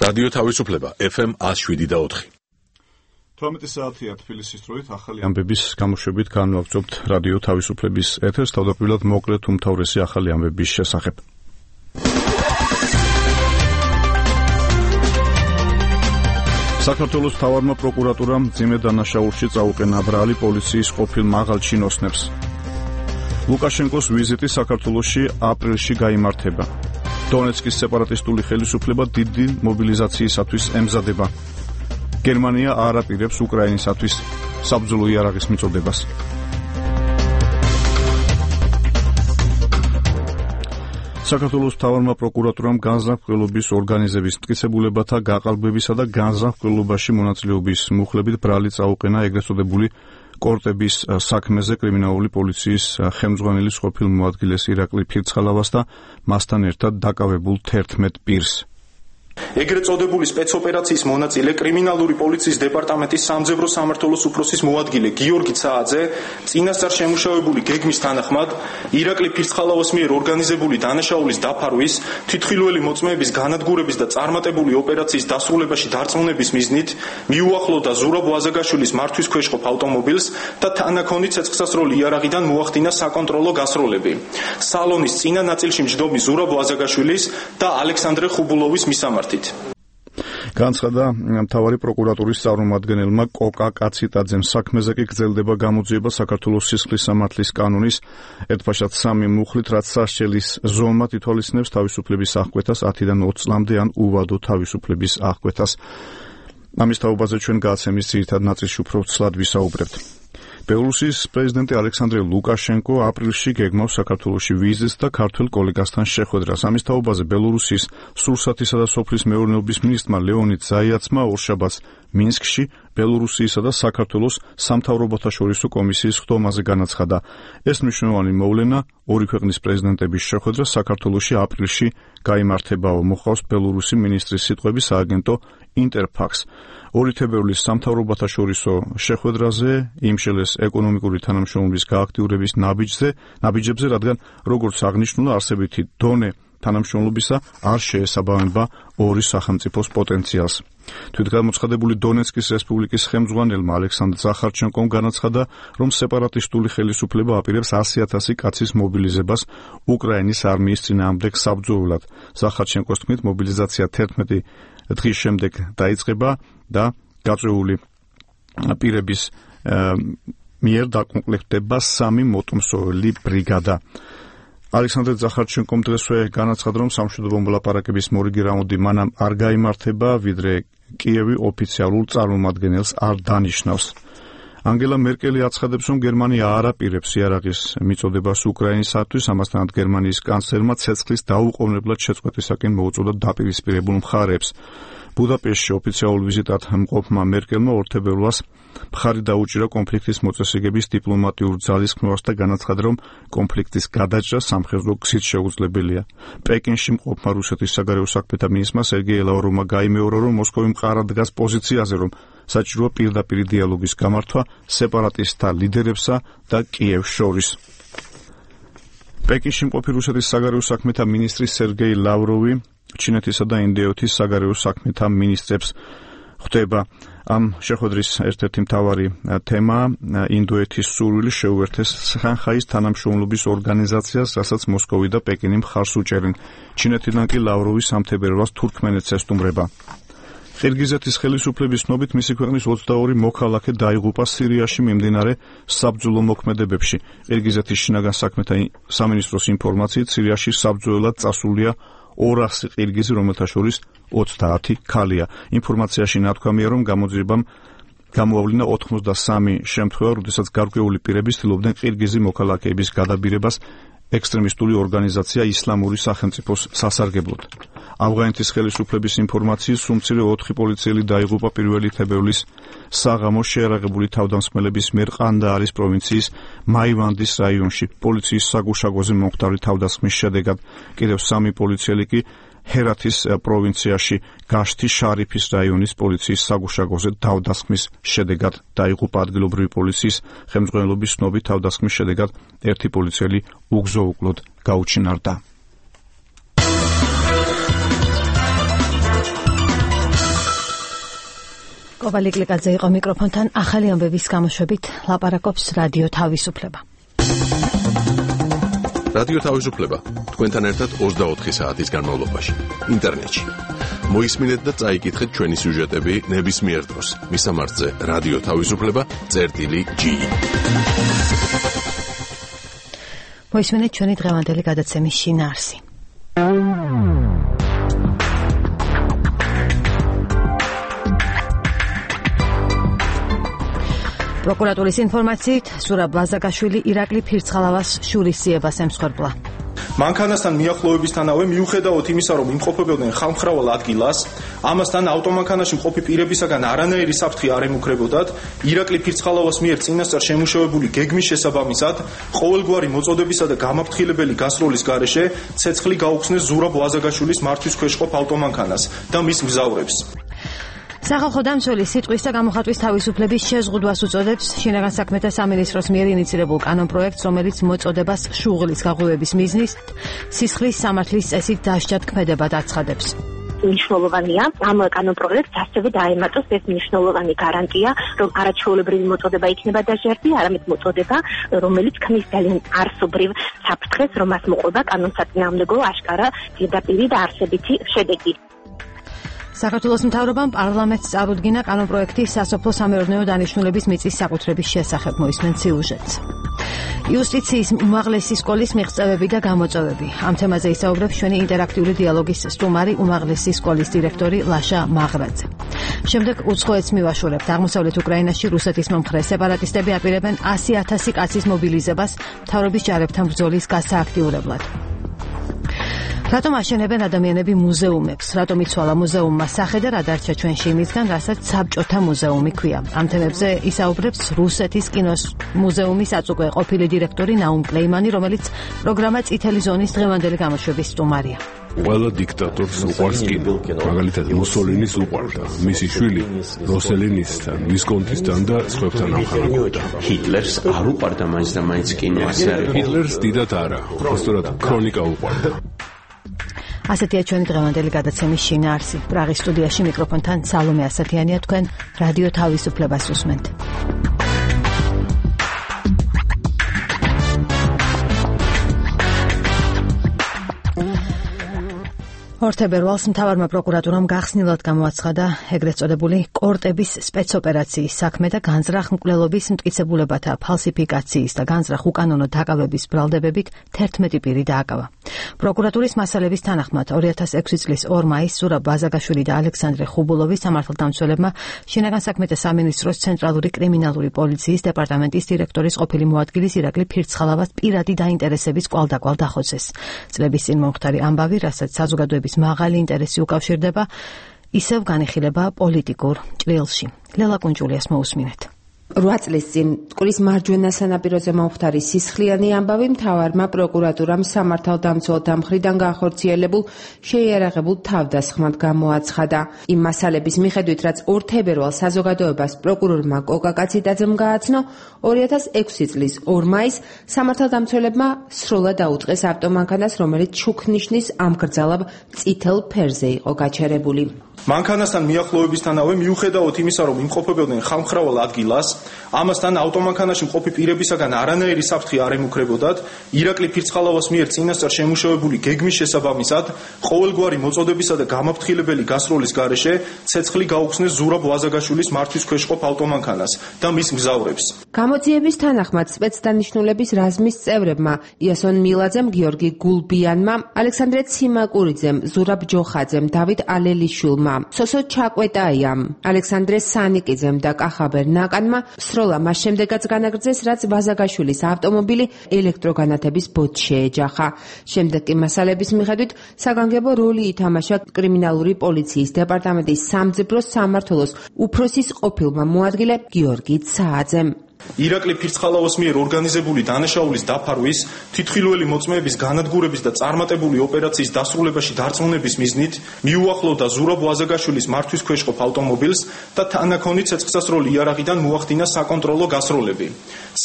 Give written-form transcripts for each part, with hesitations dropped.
რადიო თავისუფლება FM 107.4. 12 საათია თბილისის დროით ახალი ამბების გამოშვებით განვაგრძობთ რადიო თავისუფლების ეთერს, თავდაპირველად მოკლედ უმთავრესი ახალი ამბების შესახებ. საქართველოს მთავარმა პროკურატურამ მძიმე დანაშაულში წაუყენა ბრალი პოლიციის ყოფილ მაღალ ჩინოსნებს. ლუკაშენკოს ვიზიტი საქართველოში აპრილში გაიმართება. დონეცკის სეპარატისტული ხელისუფლება დიდი მობილიზაციისათვის ემზადება. გერმანია არ აპირებს უკრაინისათვის საბრძოლო იარაღის მიწოდებას. საქართველოს მთავარმა პროკურატურამ განზრახველობის ორგანიზების მტკიცებულებათა გაყალბებისა და განზრახველობაში მონაწილეობის მუხლებით ბრალი წაუყენა ეგრეთ წოდებული კორტების საქმეზე კრიმინალური პოლიციის ხელმძღვანელის ყოფილ მოადგილეს ირაკლი ფირცხალავას და მასთან ერთად დაკავებულ 11 პირს. ეგრეთ წოდებული სპეცოპერაციის მონაწილე კრიმინალური პოლიციის დეპარტამენტის სამძებრო სამმართველოს უფროსის მოადგილე გიორგი ცააძე წინასწარ შემუშავებული გეგმის თანახმად ირაკლი ფირცხალავას მიერ ორგანიზებული დანაშაულის დაფარვის, თვითმხილველი მოწმეების განადგურების და წარმატებული ოპერაციის დასრულებაში დარწმუნების მიზნით მიუახლოვდა ზურაბ ვაზაგაშვილის მართვის ქვეშ ყოფ ავტომობილს და თანაქონი ცეცხლსასროლი იარაღიდან მოახდინა საკონტროლო გასროლები. სალონის წინა ნაწილში მჯდომი ზურაბ ვაზაგაშვილის და ალექსანდრე ხუბულოვის მისამართით. განცხადა მთავარი პროკურატურის წარმომადგენელმა კოკა კაციტაძემ. საქმეზე კი გრძელდება გამოძიება საქართველოს სისხლის სამართლის კანონის ერთბაშად 3 მუხლით, რაც სასჯელის ზომად ითვალისწინებს თავისუფლების აღკვეთას 10-დან 20 წლამდე ან უვადო თავისუფლების აღკვეთას. ამის თაობაზე ჩვენ გადაცემის ძირითად ნაწილში უფრო ცლად ვისაუბრებთ. ბელორუსის პრეზიდენტი ალექსანდრე ლუკაშენკო აპრილში გეგმავს საქართველოში ვიზიტს და ქართველ კოლეგასთან შეხვედრას. ამის თაობაზე ბელორუსის სურსათისა და სოფლის მეურნეობის მინისტრმა ლეონიდ ზაიაცმა ორშაბათს მინსკში ბელორუსიისა და საქართველოს სამთავრობათა შორისო კომისიის ხდომაზე განაცხადა. ეს მნიშვნელოვანი მოვლენა ორი ქვეყნის პრეზიდენტების შეხვედრა საქართველოში აპრილში გაიმართებაო, მოხავს ბელორუსი მინისტრის სიტყვების სააგენტო ინტერფაქს. 2 თებერვლის სამთავრობათა შორისო შეხვედრაზე იმშელეს ეკონომიკური თანამშრომლობის გააქტიურების ნაბიჯებზე, რადგან როგორც აღნიშნულა, არსებითი დონე თანამშრომლობისა არ შეესაბამება ორი სახელმწიფოს პოტენციალს. თვითგამოცხადებული დონეცკის რესპუბლიკის ხელმძღვანელმა ალექსანდრ ზახარჩენკომ განაცხადა, რომ სეპარატისტული ხელისუფლება აპირებს 100,000 კაცის მობილიზებას უკრაინის არმიის წინააღმდეგ საბრძოლველად. ზახარჩენკოს თქმით, მობილიზაცია 11 დღის შემდეგ დაიწყება და გაწეული პირების მიერ დაკომპლექტდება 3 მოტომსოველი ბრიგადა. ალექსანდრე ზახარჩენკომ დღესვე განაცხადა, რომ სამშვიდობო მოლაპარაკების მორიგი რაუნდი მანამ არ გაიმართება, ვიდრე კიევი ოფიციალურ წარმომადგენელს არ დანიშნავს. ანგელა მერკელი აცხადებს, რომ გერმანია არ აპირებს იარაღის მიწოდებას უკრაინისათვის, ამასთანავე გერმანიის კანცლერმა ცეცხლის დაუყოვნებლად შეწყვეტისაკენ მოუწოდა დაპირისპირებულ მხარეებს. ბუდაპეშტში ოფიციალურ ვიზიტად მყოფმა მერკელმა 2 თებერვალს მხარი დაუჭირა კონფლიქტის მოწესრიგების დიპლომატიურ ძალისხმევას და განაცხადა, რომ კონფლიქტის გადაჭრა სამხედრო გზით შეუძლებელია. პეკინში მყოფმა რუსეთის საგარეო საქმეთა მინისტრმა სერგეი ლავროვმა გაიმეორა, რომ მოსკოვი მყარად დგას პოზიციაზე, რომ საჭიროა პირდაპირ დიალოგის გამართვა სეპარატისტთა ლიდერებსა და კიევს შორის. პეკინში მყოფი რუსეთის საგარეო საქმეთა მინისტრი სერგეი ლავროვი ჩინეთისა და ინდოეთის საგარეო საქმეთა მინისტრებს ხვდება. ამ შეხვედრის ერთ-ერთი მთავარი თემა ინდოეთის სურვილი შეუერთეს შანხაის თანამშრომლობის ორგანიზაციას, რასაც მოსკოვი და პეკინი მხარს უჭერენ. ჩინეთიდან კი ლავროვი 3 თებერვალს თურქმენეთს ესტუმრება. ყირგიზეთის ხელისუფლების ცნობით მისი ქვეყნის 22 მოქალაქე დაიღუპა სირიაში მიმდინარე საბრძოლო მოქმედებებში. ყირგიზეთის შინაგან საქმეთა სამინისტროს ინფორმაციით სირიაში საბრძოლველად წასულია 200 ყირგიზი, რომელთა შორის 30 ქალია. ინფორმაციაში ნათქვამია, რომ გამოძიებამ გამოავლინა 83 შემთხვევა, როდესაც გარკვეული პირები ცდილობდნენ ყირგიზი მოქალაქეების გადაბირებას ექსტრემისტული ორგანიზაცია ისლამური სახელმწიფოს სასარგებლოდ. ავღანეთის ხელისუფლების ინფორმაციით სუმცირე 4 პოლიციელი დაიღუპა 1 თებერვლის საღამოს შეიარაღებული თავდამსხმელების მიერ ყანდაარის პროვინციის მაივანდის რაიონში. პოლიციის საგუშაგოზე მომხდარი თავდასხმის შედეგად კიდევ 3 პოლიციელი კი ჰერათის პროვინციაში გაშთი შარიფის რაიონის პოლიციის საგუშაგოზე თავდასხმის შედეგად დაიღუპა. ადგილობრივი პოლიციის ხელმძღვანელობის ცნობით თავდასხმის შედეგად 1 პოლიციელი უგზო-უკლოდ გაუჩინარდა. კობალი კლიკაძე იყო მიკროფონთან, ახალი ამბების გამოშვებით ლაპარაკობს რადიო თავისუფლება. რადიო თავისუფლება თქვენთან ერთად 24 საათის განმავლობაში ინტერნეტში. მოისმინეთ და წაიკითხეთ ჩვენი სიუჟეტები ნებისმიერ დროს. მისამართზე რადიო თავისუფლება.gi. მოისმინეთ ჩვენი დღევანდელი გადაცემის შინაარსი. პროკურატურის ინფორმაციით, ზურაბ ვაზაგაშვილი ირაკლი ფირცხალავას შურისძიებას ემსხვერპლა. მანქანასთან მიახლოებისთანავე მიუხედავად იმისა, რომ იმყოფებოდნენ ხალხმრავალ ადგილას, ამასთან ავტომანქანაში მყოფი პირებისაგან არანაირი საფრთხე არ ემუქრებოდათ, ირაკლი ფირცხალავას მიერ წინასწარ შემუშავებული გეგმის შესაბამისად, ყოველგვარი მოწოდებისა და გამაფრთხილებელი გასროლის გარეშე ცეცხლი გაუხსნეს ზურაბ ვაზაგაშვილის მართვის ქვეშ ყოფ ავტომანქანას და მის მგზავრებს. სახალხო დამცველი სიტყვის და გამოხატვის თავისუფლების შეზღუდვას უწოდებს შინაგან საქმეთა სამინისტროს მიერ ინიცირებულ კანონპროექტს, რომელიც მოწოდებას შუღლის გაღვივების მიზნით სისხლის სამართლის წესით დასჯად ქმედებად აცხადებს. მნიშვნელოვანია ამ კანონპროექტს ასევე დაემატოს ეს მნიშვნელოვანი გარანტია, რომ არაჩვეულებრივი მოწოდება იქნება დასჯადი, არამედ მოწოდება, რომელიც ქმნის ძალიან არსობრივ საფრთხეს, რომ მას მოყვება კანონსაწინააღმდეგო აშკარა პირდაპირი და არსებითი შედეგი. საქართველოს მთავრობამ პარლამენტს წარუდგინა კანონპროექტი სასოფლო სამეურნეო დანიშნულების მიწის საკუთრების შესახებ. მოისმენთ სიუჟეტს. იუსტიციის უმაღლესი სკოლის მიღწევები და გამოწვევები. ამ თემაზე ისაუბრებს ჩვენი ინტერაქტიული დიალოგის სტუმარი, უმაღლესი სკოლის დირექტორი ლაშა მაღრაძე. შემდეგ უცხოეთს მივაშორებთ. აღმოსავლეთ უკრაინაში რუსეთის მომხრე სეპარატისტები აპირებენ 100,000 კაცის მობილიზებას მთავრობის ჯარებთან ბრძოლის გასააქტიურებლად. რატომ აშენებენ ადამიანები მუზეუმებს? რატომ იცვალა მუზეუმმა სახე და რა დარჩა ჩვენში იმისგან, რასაც საბჭოთა მუზეუმი ქვია? ამ თემებზე ისაუბრებს რუსეთის კინოს მუზეუმის აწუკვე ყოფილი დირექტორი ნაუმ კლეიმანი, რომელიც პროგრამა წითელი ზონის დღევანდელი გამოშვების სტუმარია. ყველა დიქტატორს უყვარს კინო. მაგალითად მუსოლინის უყვარდა, მისი შვილი როსელინისთან, ვისკონტისთან და სხვებთან ამხანაგობდა. ჰიტლერს არ უყვარდა მაინც და მაინც კინო, ასე არის. ჰიტლერს დიდად არა, უბრალოდ ქრონიკა უყვარდა. ასეთია ჩვენი დღევანდელი გადაცემის შინაარსი. პრაღის სტუდიაში მიკროფონთან სალომე ასათიანია, თქვენ რადიო თავისუფლებას უსმენთ. ორთებერვალს მთავარმა პროკურატურამ გახსნილად გამოაცხადა ეგრეთ წოდებული კორტების სპეცოპერაციის საქმე და განზრახ მკვლელობის მტკიცებულებათა ფალსიფიკაციის და განზრახ უკანონო დაკავების ბრალდებებით 11 პირი დააკავა. პროკურატურის მასალების თანახმად 2006 წლის 2 მაისს ზურაბ ვაზაგაშვილი და ალექსანდრე ხუბულოვი სამართალდამცველებმა შინაგან საქმეთა სამინისტროს ცენტრალური კრიმინალური პოლიციის დეპარტამენტის დირექტორის ყოფილი მოადგილის ირაკლი ფირცხალავას პირადი დაინტერესების კვალდაკვალ დახოცეს. წლების წინ მომხდარი ამბავი, რასაც საზოგადოების მაღალი ინტერესი უკავშირდება, ისევ განიხილება პოლიტიკურ ჭრილში. ლელა კუნჭულიას მოусმინეთ. 8 წლის წინ მტკვრის მარჯვენა სანაპიროზე მომხდარი სისხლიანი ამბავი მთავარმა პროკურატურამ სამართალდამცველთა მხრიდან განხორციელებულ შეიარაღებულ თავდასხმად გამოაცხადა. იმ მასალების მიხედვით, რაც 2 თებერვალს საზოგადოებას პროკურორმა კოკა კაციტაძემ გააცნო, 2006 წლის 2 მაისს სამართალდამცველებმა სრულად აუწყეს ავტომანქანას, რომელიც შუქნიშნის ამგრძალავ წითელ ფერზე იყო გაჩერებული. მანქანასთან მიახლოებისთანავე მიუხედავად იმისა, რომ იმყოფებოდნენ ხალხმრავალ ადგილას, ამასთან ავტომანქანაში მყოფი პირებისაგან არანაირი საფრთხე არ ემუქრებოდათ, ირაკლი ფირცხალავას მიერ წინასწარ შემუშავებული გეგმის შესაბამისად, ყოველგვარი მოწოდებისა და გამაფრთხილებელი გასროლის გარეშე ცეცხლი გაუხსნეს ზურაბ ვაზაგაშვილის მართვის ქვეშ ყოფ ავტომანქანას და მის მგზავრებს. გამოძიების თანახმად სპეცდანიშნულების რაზმის წევრებმა იასონ მილაძემ, გიორგი გულბიანმა, ალექსანდრე ციმაკურიძემ, ზურაბ ჯოხაძემ, დავით ალელიშვილმა, სოსო ჩაკვეტაიამ, ალექსანდრე სანიკიძემ და კახაბერ ნაკანმა სროლა მას შემდეგაც განაგრძეს, რაც ვაზაგაშვილის ავტომობილი ელექტროგანათების ბოთს შეეჯახა. შემდეგ კი მასალების მიხედვით საგანგებო როლი ითამაშა კრიმინალური პოლიციის დეპარტამენტის სამძებრო სამმართველოს უფროსის ყოფილმა მოადგილე გიორგი ცააძემ. ირაკლი ფირცხალავას მიერ ორგანიზებული დანაშაულის დაფარვის, თვითმხილველი მოწმეების განადგურების და წარმატებული ოპერაციის დასრულებაში დარწმუნების მიზნით მიუახლოვდა ზურაბ ვაზაგაშვილის მართვის ქვეშ ყოფ ავტომობილს და თანაქონი ცეცხლსასროლი იარაღიდან მოახდინა საკონტროლო გასროლები.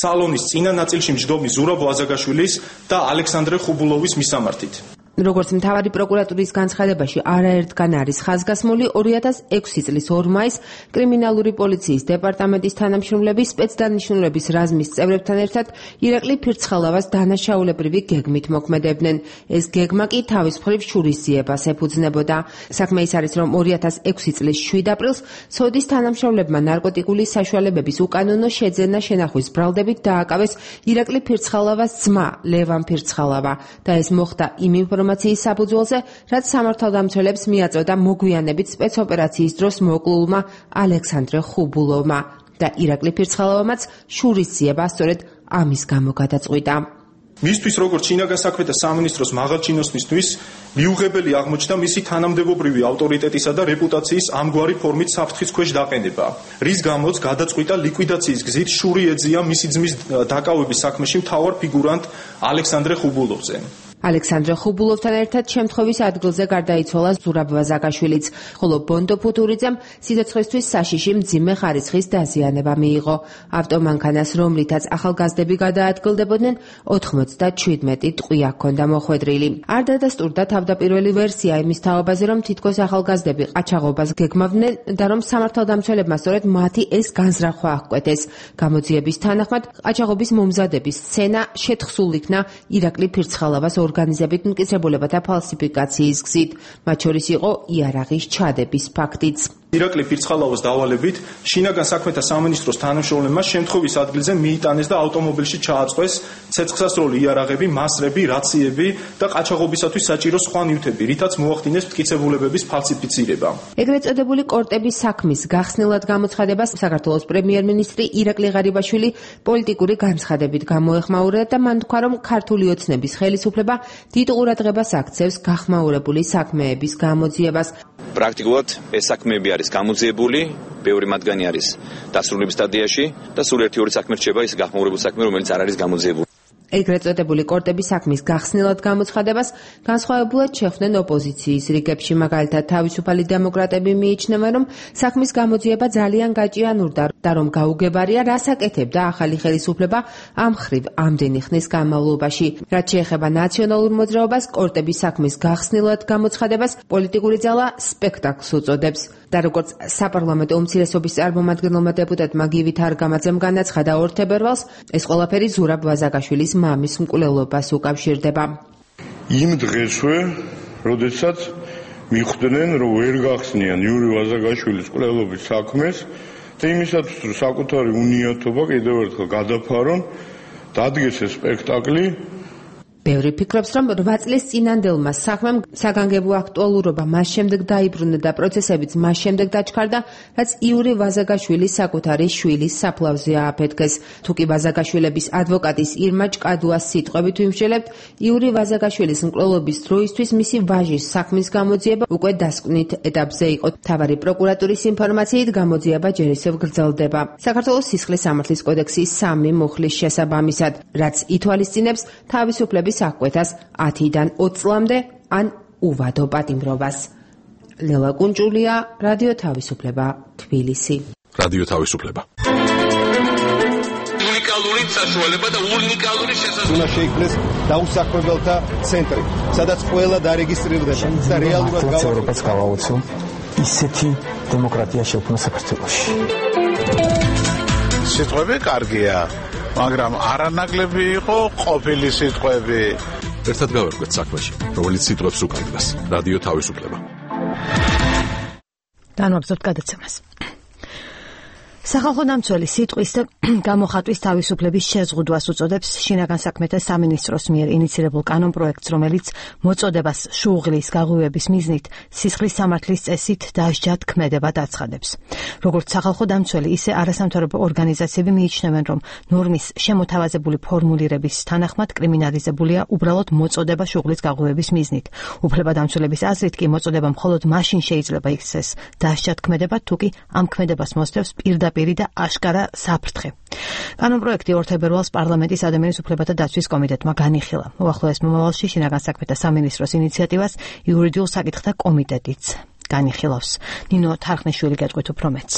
სალონის წინა ნაწილში მჯდომი ზურაბ ვაზაგაშვილის და ალექსანდრე ხუბულოვის მისამართით. როგორც მთავარი პროკურატურის განცხადებაში არაერთგან არის ხაზგასმული 2006 წლის 2 მაისს კრიმინალური პოლიციის დეპარტამენტის თანამშრომლები სპეცდანიშნულების რაზმის წევრებთან ერთად ირაკლი ფირცხალავას დანაშაულებრივი გეგმით მოქმედებდნენ. ეს გეგმა კი თავის მხრივ შურისძიებას ეფუძნებოდა. საქმე ის არის, რომ 2006 წლის 7 აპრილს სოდის თანამშრომლებმა ნარკოტიკული საშუალებების უკანონო შეძენა შენახვის ბრალდებით დააკავეს ირაკლი ფირცხალავას ძმა ლევან ფირცხალავა და ეს მოხდა იმ ინფორმაციის საფუძველზე, რაც სამართალდამცველებს მიაწოდა მოგვიანებით სპეცოპერაციის დროს მოკლულმა ალექსანდრე ხუბულოვმა და ირაკლი ფირცხალავამაც შურისძიება სწორედ ამის გამო გადაწყვიტა. მისთვის როგორც შინაგან საქმეთა სამინისტროს მაღალჩინოსნისთვის მიუღებელი აღმოჩნდა მისი თანამდებობრივი ავტორიტეტისა და რეპუტაციის ამგვარი ფორმით საფრთხის ქვეშ დაყენება, რის გამოც გადაწყვიტა ლიკვიდაციის გზით შური ეძია მისი ძმის დაკავების საქმეში მთავარ ფიგურანტ ალექსანდრე ხუბულოვზე. ალექსანდრე ხუბულოვთან ერთად შემთხვევის ადგილზე გარდაიცვალა ზურაბ ვაზაგაშვილიც, ხოლო ბონდო ფუტურიძემ სიცოცხლისთვის საშიში მძიმე ხარისხის დაზიანება მიიღო. ავტომანქანას, რომლითაც ახალგაზრდები გადაადგილდებოდნენ, 97 ტყვია ჰქონდა მოხვედრილი. არ დადასტურდა თავდაპირველი ვერსია იმის თაობაზე, რომ თითქოს ახალგაზრდები ყაჩაღობას გეგმავდნენ და რომ სამართალდამცველებმა სწორედ მათი ეს განზრახვა აღკვეთეს. გამოძიების თანახმად, ყაჩაღობის მომზადების სცენა შეთხსულ იქნა ირაკლი ფირცხალავას ორგანიზებით მტკიცებულებათა ფალსიფიკაციის გზით, მათ შორის იყო იარაღის ჩადების ფაქტიც. ირაკლი ფირცხალავას დავალებით შინაგან საქმეთა სამინისტროს თანამშრომლებმა შემთხვევის ადგილზე მიიტანეს და ავტომობილში ჩააწყვეს ცეცხლსასროლი იარაღები, მასრები, რაციები და ყაჩაღობისათვის საჭირო სხვა ნივთები, რითაც მოახდინეს მტკიცებულებების ფალსიფიცირება. ეგრეთ წოდებული კორტების საქმის გახსნილად გამოცხადებას საქართველოს პრემიერ-მინისტრი ირაკლი ღარიბაშვილი პოლიტიკური განცხადებით გამოეხმაურა და მან თქვა, რომ ქართული ოცნების ხელისუფლება დიდ ყურადღებას აქცევს გახმაურებული საქმეების გამოძიებას. პრაქტიკულად ეს საქმეები არის გამოძიებული, ბევრი მათგანი არის დასრულების სტადიაში და სულ 1-2 საქმე რჩება ის გახმაურებული საქმე, რომელიც არ არის გამოძიებული. ეგრეთ წოდებული კორტების საქმის გახსნილად გამოცხადებას განსხვავებულად შეხვდნენ ოპოზიციის რიგებში, მაგალითად თავისუფალი დემოკრატები მიიჩნევენ, რომ საქმის გამოძიება ძალიან გაჭიანურდა და რომ გაუგებარია, რას აკეთებდა ახალი ხელისუფლება ამ ხრივ ამდენი ხნის განმავლობაში. რაც შეეხება ნაციონალურ მოძრაობას, კორტების საქმის გახსნილად გამოცხადებას პოლიტიკური ძალა სპექტაკლს უწოდებს. და როგორც საპარლამენტო უმცირესობის წარმომადგენელმა დეპუტატმა გივით არგამაძემ განაცხადა 2 თებერვალს, ეს ყველაფერი ზურაბ ვაზაგაშვილის მამის მკვლელობას უკავშირდება. იმ დღესვე, როდესაც მიხვდნენ, რომ ვერ გახსნიან იური ვაზაგაშვილის მკვლელობის საქმეს და იმისათვის, რომ საკუთარი უნიათობა კიდევ ერთხელ გადაფარონ, დადგეს ეს სპექტაკლი. ბევრი ფიქრობს, რომ 8 წლის წინანდელმა საქმემ საგანგებო აქტუალურობა მას შემდეგ დაიბრუნა და პროცესებიც მას შემდეგ დაჩქარდა, რაც იური ვაზაგაშვილის საკუთარი შვილის საფლავზე ააფეთქეს. თუკი ვაზაგაშვილების ადვოკატის ირმა ჭკადუას სიტყვებით ვიმსჯელებთ, იური ვაზაგაშვილის მკვლელობის დროისთვის მისი ვაჟის საქმის გამოძიება უკვე დასკვნით ეტაპზე იყო. მთავარი პროკურატურის ინფორმაციით გამოძიება ჯერ ისევ გრძელდება. საქართველოს სისხლის სამართლის კოდექსის 3 მუხლის შესაბამისად, რაც ითვალისწინებს თავისუფლების აღკვეთას 10-დან 20 წლამდე ან უვადო პატიმრობას. ლელა კუნჭულია, რადიო თავისუფლება, თბილისი. რადიო თავისუფლება. უნიკალური საშუალება და უნიკალური შესაძლებლობა. უნდა შეიქმნეს დაუსაქმებელთა ცენტრი, სადაც ყველა დარეგისტრირდება და რეალურად ევროპას გავაოცო ისეთი დემოკრატია შექმნა საქართველოში. სიტყვები კარგია, მაგრამ არანაკლები იყო ყოფილი სიტყვები. ერთად გავერკვეთ საქმეში, რომელიც სიტყვებს უკანდგას. რადიო თავისუფლება. განვაგრძობთ გადაცემას. სახალხო დამცველი სიტყვის და გამოხატვის თავისუფლების შეზღუდვას უწოდებს შინაგან საქმეთა სამინისტროს მიერ ინიცირებულ კანონპროექტს, რომელიც მოწოდებას შუღლის გაღვივების მიზნით სისხლის სამართლის წესით დასჯად ქმედება დაცხადებს. როგორც სახალხო დამცველი, ისე არასამთავრობო ორგანიზაციები მიიჩნევენ, რომ ნორმის შემოთავაზებული ფორმულირების თანახმად კრიმინალიზებულია უბრალოდ მოწოდება შუღლის გაღვივების მიზნით. უფლებადამცველების აზრით კი მოწოდება მხოლოდ მაშინ შეიძლება იქცეს დასჯად ქმედება, თუკი ამ ქმედებას მოსდევს პირდაპირ და აშკარა საფრთხე. კანონპროექტი 2 თებერვალს პარლამენტის ადამიანის უფლებათა დაცვის კომიტეტმა განიხილა. უახლოეს მომავალში შინაგან საქმეთა სამინისტროს ინიციატივას იურიდიულ საკითხთა კომიტეტიც განიხილავს. ნინო თარხნიშვილი გეტყვით უფრო მეტს.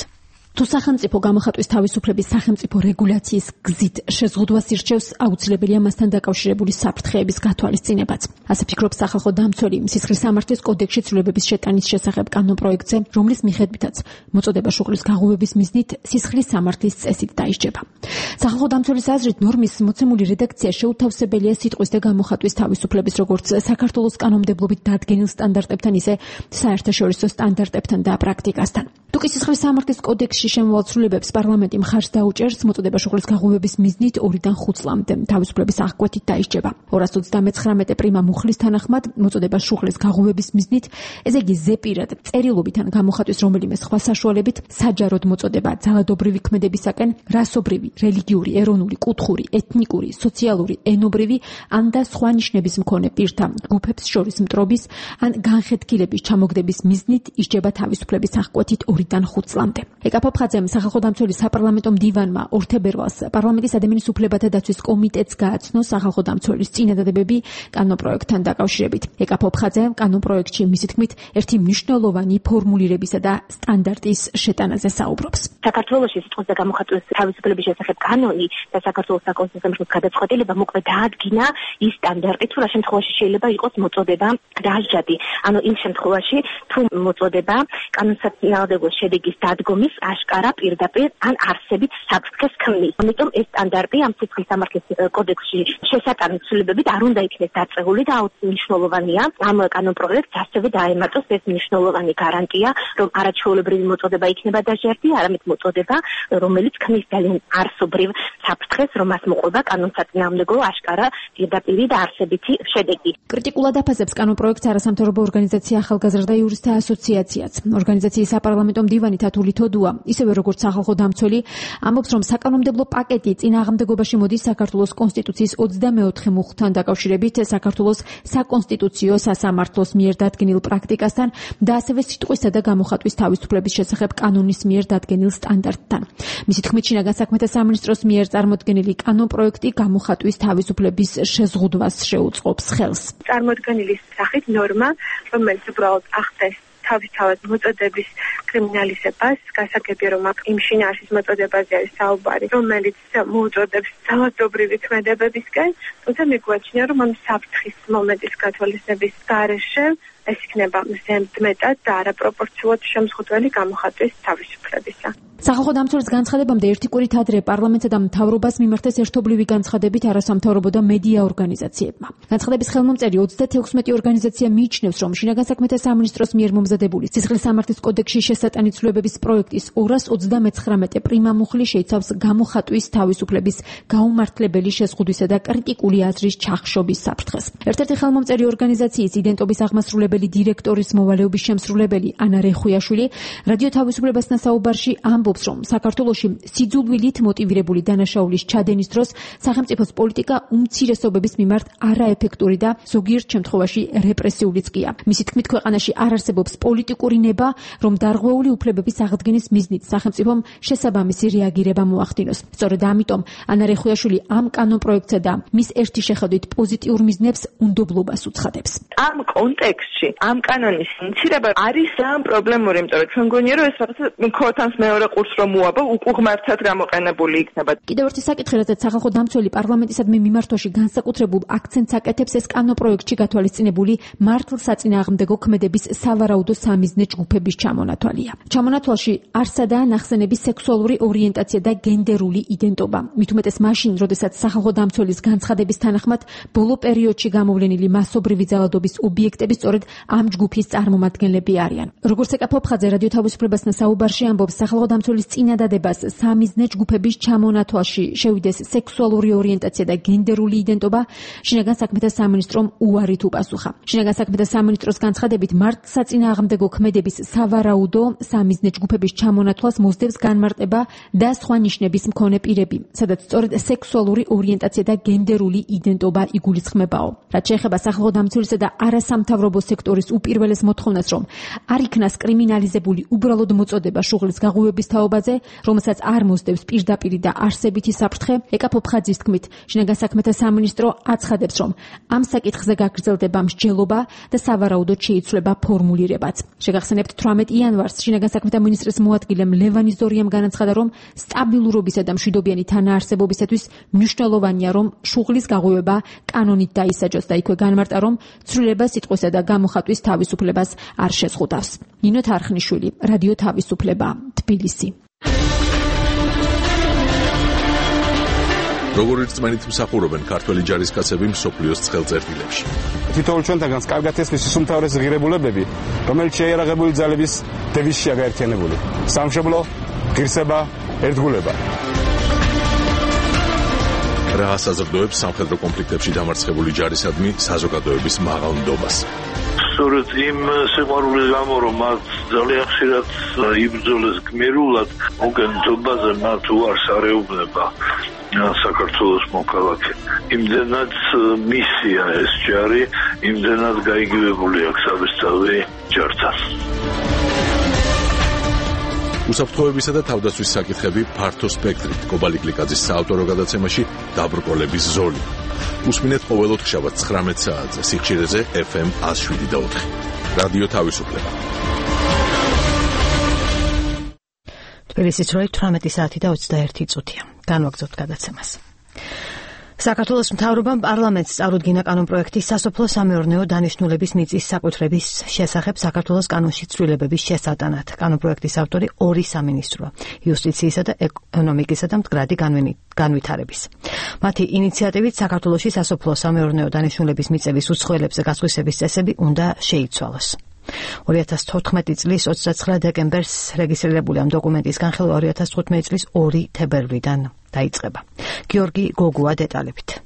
თუ სახელმწიფო გამოხატვის თავისუფლების სახელმწიფო რეგულაციის გზით შეზღუდვას ირჩევს, აუცილებელია მასთან დაკავშირებული საფრთხეების გათვალისწინებაც. ასე ფიქრობს სახალხო დამცველი სისხლის სამართლის კოდექსში ცვლილებების შეტანის შესახებ კანონპროექტზე, რომლის მიხედვითაც მოწოდება შუღლის გაღუვების მიზნით სისხლის სამართლის წესით დაისჯება. სახალხო დამცველის აზრით, ნორმის მოცემული რედაქცია შეუთავსებელია სიტყვის და გამოხატვის თავისუფლების როგორც საქართველოს კანონმდებლობით დადგენილ სტანდარტებთან, ისე საერთაშორისო სტანდარტებთან და პრაქტიკასთან. თუკი სისხლის სამართლის კოდექსში შემოვალ ცვლილებებს პარლამენტი მხარს დაუჭერს, მოწოდება შუღლის გაღუვების მიზნით 2-დან 5 წლამდე თავისუფლების აღკვეთით დაისჯება. 239 პრიმა მუხლის თანახმად მოწოდება შუღლის გაღუვების მიზნით, ესე იგი ზეპირად წერილობით ან გამოხატვის რომელიმე სხვა საშუალებით საჯაროდ მოწოდება ძალადობრივი ქმედებისაკენ რასობრივი, რელიგიური, ეროვნული, კუთხური, ეთნიკური, სოციალური, ენობრივი ან და სხვა ნიშნების მქონე პირთა ჯგუფებს შორის მტრობის ან განხეთქილების ჩამოგდების მიზნით ისჯება თავისუფლების აღკვეთით 2-დან 5 წლამდე. ეკაფოფხაძემ სახალხო დამცველი საპარლამენტო მდივანმა 2 თებერვალს პარლამენტის ადამიანის უფლებათა დაცვის კომიტეტს გააცნო სახალხო დამცველის წინადადებები კანონპროექტთან დაკავშირებით. ეკაფოფხაძე კანონპროექტში მისი თქმით ერთი მნიშვნელოვანი ფორმულირებისა და სტანდარტის შეტანაზე საუბრობს. საქართველოში სიტყვის და გამოხატვის თავისუფლების შესახებ კანონი და საქართველოს საკონსტიტუციო გადაწყვეტილება მოკლედ დაადგინა ის სტანდარტი, თუ რა შემთხვევაში შეიძლება იყოს მოწოდება დასჯადი. ანუ იმ შემთხვევაში თუ მოწოდება კანონსაწინააღმდეგო შედეგის დადგომის აშკარა პირდაპირ ან არსებით საფრთხეს ქმნის. ამიტომ ეს სტანდარტი ამ სისხლის სამართლის კოდექსში შესატანის ცვლილებებით არ უნდა იქნეს დაწეული და მნიშვნელოვანია ამ კანონპროექტს ასევე დაემატოს ეს მნიშვნელოვანი გარანტია, რომ არაჩვეულებრივი მოწოდება იქნება დასჯადი, არამედ მოწოდება, რომელიც ქმნის ძალიან არსობრივ საფრთხეს, რომ მას მოყვება კანონსაწინააღმდეგო აშკარა პირდაპირი და არსებითი შედეგი. კრიტიკულად აფასებს კანონპროექტს არასამთავრობო ორგანიზაცია ახალგაზრდა იურისტთა ასოციაციაც. ორგანიზაციის საპარლამენტო მდივანი თათული თოდუა, ისევე როგორც სახალხო დამცველი, ამბობს, რომ საკანონმდებლო პაკეტი წინააღმდეგობაში მოდის საქართველოს კონსტიტუციის 24 მუხლთან დაკავშირებით, საქართველოს საკონსტიტუციო სასამართლოს მიერ დადგენილ პრაქტიკასთან და ასევე სიტყვისა და გამოხატვის თავისუფლების შესახებ კანონის მიერ დადგენილ სტანდარტთან. მისი თქმით, შინაგან საქმეთა სამინისტროს მიერ წარმოდგენილი კანონპროექტი გამოხატვის თავისუფლების შეზღუდვას შეუწყობს ხელს. წარმოდგენილი სახით ნორმა, რომელიც უბრალოდ ახდენს თავისთავად მოწოდების კრიმინალიზებას, გასაგებია, რომ იმ შინაარსის მოწოდებაზე არის საუბარი, რომელიც მოუწოდებს ძალადობრივი ქმედებებისკენ, თუმცა მიგვაჩნია, რომ ამ საფრთხის მომენტის გათვალისწინების გარეშე ეს იქნება ზემდმეტად და არაპროპორციულად შემზღუდველი გამოხატვის თავისუფლებისა. სახალხო დამცველის განცხადებამდე ერთი კვირით ადრე პარლამენტსა და მთავრობას მიმართეს ერთობლივი განცხადებით არასამთავრობო და მედია ორგანიზაციებმა. განცხადების ხელმომწერი 36 ორგანიზაცია მიიჩნევს, რომ შინაგან საქმეთა სამინისტროს მიერ მომზადებული სისხლის სამართლის კოდექსში შესატანი ცვლილებების პროექტის 239 პრიმა მუხლი შეიცავს გამოხატვის თავისუფლების გაუმართლებელი შეზღუდვისა და კრიტიკული აზრის ჩახშობის საფრთხეს. ერთ-ერთი ხელმომწერი ორგანიზაციის იდენტობის აღმასრულებელი დირექტორის მოვალეობის შემსრულებელი ანა რეხუიაშვილი რადიო თავისუფლებასთან საუბარში ამბობს, რომ საქართველოში სიძულვილით მოტივირებული დანაშაულის ჩადენის დროს სახელმწიფოს პოლიტიკა უმცირესობების მიმართ არაეფექტური და ზოგიერთ შემთხვევაში რეპრესიულიც გია. მისი თქმით, ქვეყანაში არ არსებობს პოლიტიკური ნება, რომ დარღვეული უფლებების აღდგენის მიზნით სახელმწიფომ შესაბამისი რეაგირება მოახდინოს. სწორედ ამიტომ ანა რეხუიაშვილი ამ კანონპროექტსა და მის ერთი შეხედვით პოზიტიურ მიზნებს უნდობლობას უცხადებს. ამ კონტექსტში ამ კანონის ინიცირება არის ძალიან პრობლემური, იმიტომ რომ ჩვენ გონია, რომ ეს რაღაცა ქოთანს მეორე ყურს რომ უაბო უკუღმართად გამოყენებული იქნება. კიდევ ერთი საკითხი, რადგან სახალხო დამცველი პარლამენტისადმი მიმართვაში განსაკუთრებულ აქცენტს აკეთებს, ეს კანონპროექტში გათვალისწინებული მართლსაწინააღმდეგო ქმედების სავარაუდო სამიზნე ჯგუფების ჩამონათვალია. ჩამონათვალში არსადაა ნახსენები სექსუალური ორიენტაცია და გენდერული იდენტობა. მით უმეტეს მაშინ, როდესაც სახალხო დამცველის განცხადების თანახმად ბოლო პერიოდში გამოვლენილი მასობრივი ძალადობის ობიექტები სწორედ ამ ჯგუფის წარმომადგენლები არიან. როგორც ეკაფოფხაძე რადიო თავისუფლებასთან საუბარში ამბობს, სახალხო დამცველის წინადადებას სამიზნე ჯგუფების ჩამონათვალში შევიდეს სექსუალური ორიენტაცია და გენდერული იდენტობა, შინაგან საქმეთა სამინისტრომ უარით უპასუხა. შინაგან საქმეთა სამინისტროს განცხადებით, მართლსაწინააღმდეგო ქმედების სავარაუდო სამიზნე ჯგუფების ჩამონათვალს მოსდევს განმარტება და სხვა ნიშნების მქონე პირები, სადაც სწორედ სექსუალური ორიენტაცია და გენდერული იდენტობა იგულისხმებაო. რაც შეეხება სახალხო დამცველისა და არასამთავრობო სექტორის უპირველეს მოთხოვნას, რომ არ იქნას კრიმინალიზებული უბრალოდ მოწოდება შუღლის გაღვივების თაობაზე, რომელსაც არ მოსდევს პირდაპირი და არსებითი საფრთხე, ეკა ფოფხაძის თქმით, შინაგან საქმეთა სამინისტრო აცხადებს, რომ ამ საკითხზე გაგრძელდება მსჯელობა და სავარაუდოდ შეიცვლება ფორმულირებაც. შეგახსენებთ 18 იანვარს შინაგან საქმეთა მინისტრის მოადგილემ ლევან იზორიამ განაცხადა, რომ სტაბილურობისა და მშვიდობიანი თანაარსებობისათვის მნიშვნელოვანია, რომ შუღლის გაღვივება კანონით დაისაჯოს და იქვე განმარტა, რომ ცვლილება სიტყვისა და გამოხატვის თავისუფლებას არ შეზღუდავს. ნინო თარხნიშვილი, რადიო თავისუფლება, თბილისი. როგორ რწმენით მსახურობენ ქართველი ჯარისკაცები მსოფლიოს ცხელწერტილებში. თითოეულ ჩვენთაგანს კარგად ესმის უმთავრეს ღირებულებები, რომელიც შეიარაღებული ძალების დევიზშია გაერთიანებული. სამშობლო, ღირსება, ერთგულება. რა საზრდოებს სამხედრო კონფლიქტებში დამარცხებული ჯარისადმი საზოგადოების მაღალ ნდობას. სწორედ იმ სიყვარულის გამო, რომ მათ ძალიან ხშირად იბრძოლეს გმირულად, მოგენთობაზე მათ უარს არეუბნება საქართველოს მოქალაქე. იმდენად მისია ეს ჯარი, იმდენად გაიგივებული აქვს საბესწავლი ჯართან. უსაფრთხოებისა და თავდაცვის საკითხები ფართო სპექტრით. კობალი გლიკაძის საავტორო გადაცემაში დაბრკოლების ზოლი. უსმინეთ ყოველ ოთხშაბათს 19 საათზე სიხშირეზე FM 107.4. რადიო თავისუფლება. თბილისის როი 18 საათი და 21 წუთია. განვაგრძობთ გადაცემას. საქართველოს მთავრობამ პარლამენტს წარუდგინა კანონპროექტი სასოფლო-სამეურნეო დანიშნულების მიწის საკუთრების შესახებ საქართველოს კანონში ცვლილებების შესატანად. კანონპროექტის ავტორი ორი სამინისტროა: იუსტიციისა და ეკონომიკისა და მდგრადი განვითარების. მათი ინიციატივით საქართველოში სასოფლო-სამეურნეო დანიშნულების მიწების უცხოელებზე გასხვისების წესები უნდა შეიცვალოს. 2014 წლის 29 დეკემბერს რეგისტრირებული ამ დოკუმენტის განხილვა 2015 წლის 2 თებერვლიდან დაიწყება. გიორგი გოგუა დეტალებით.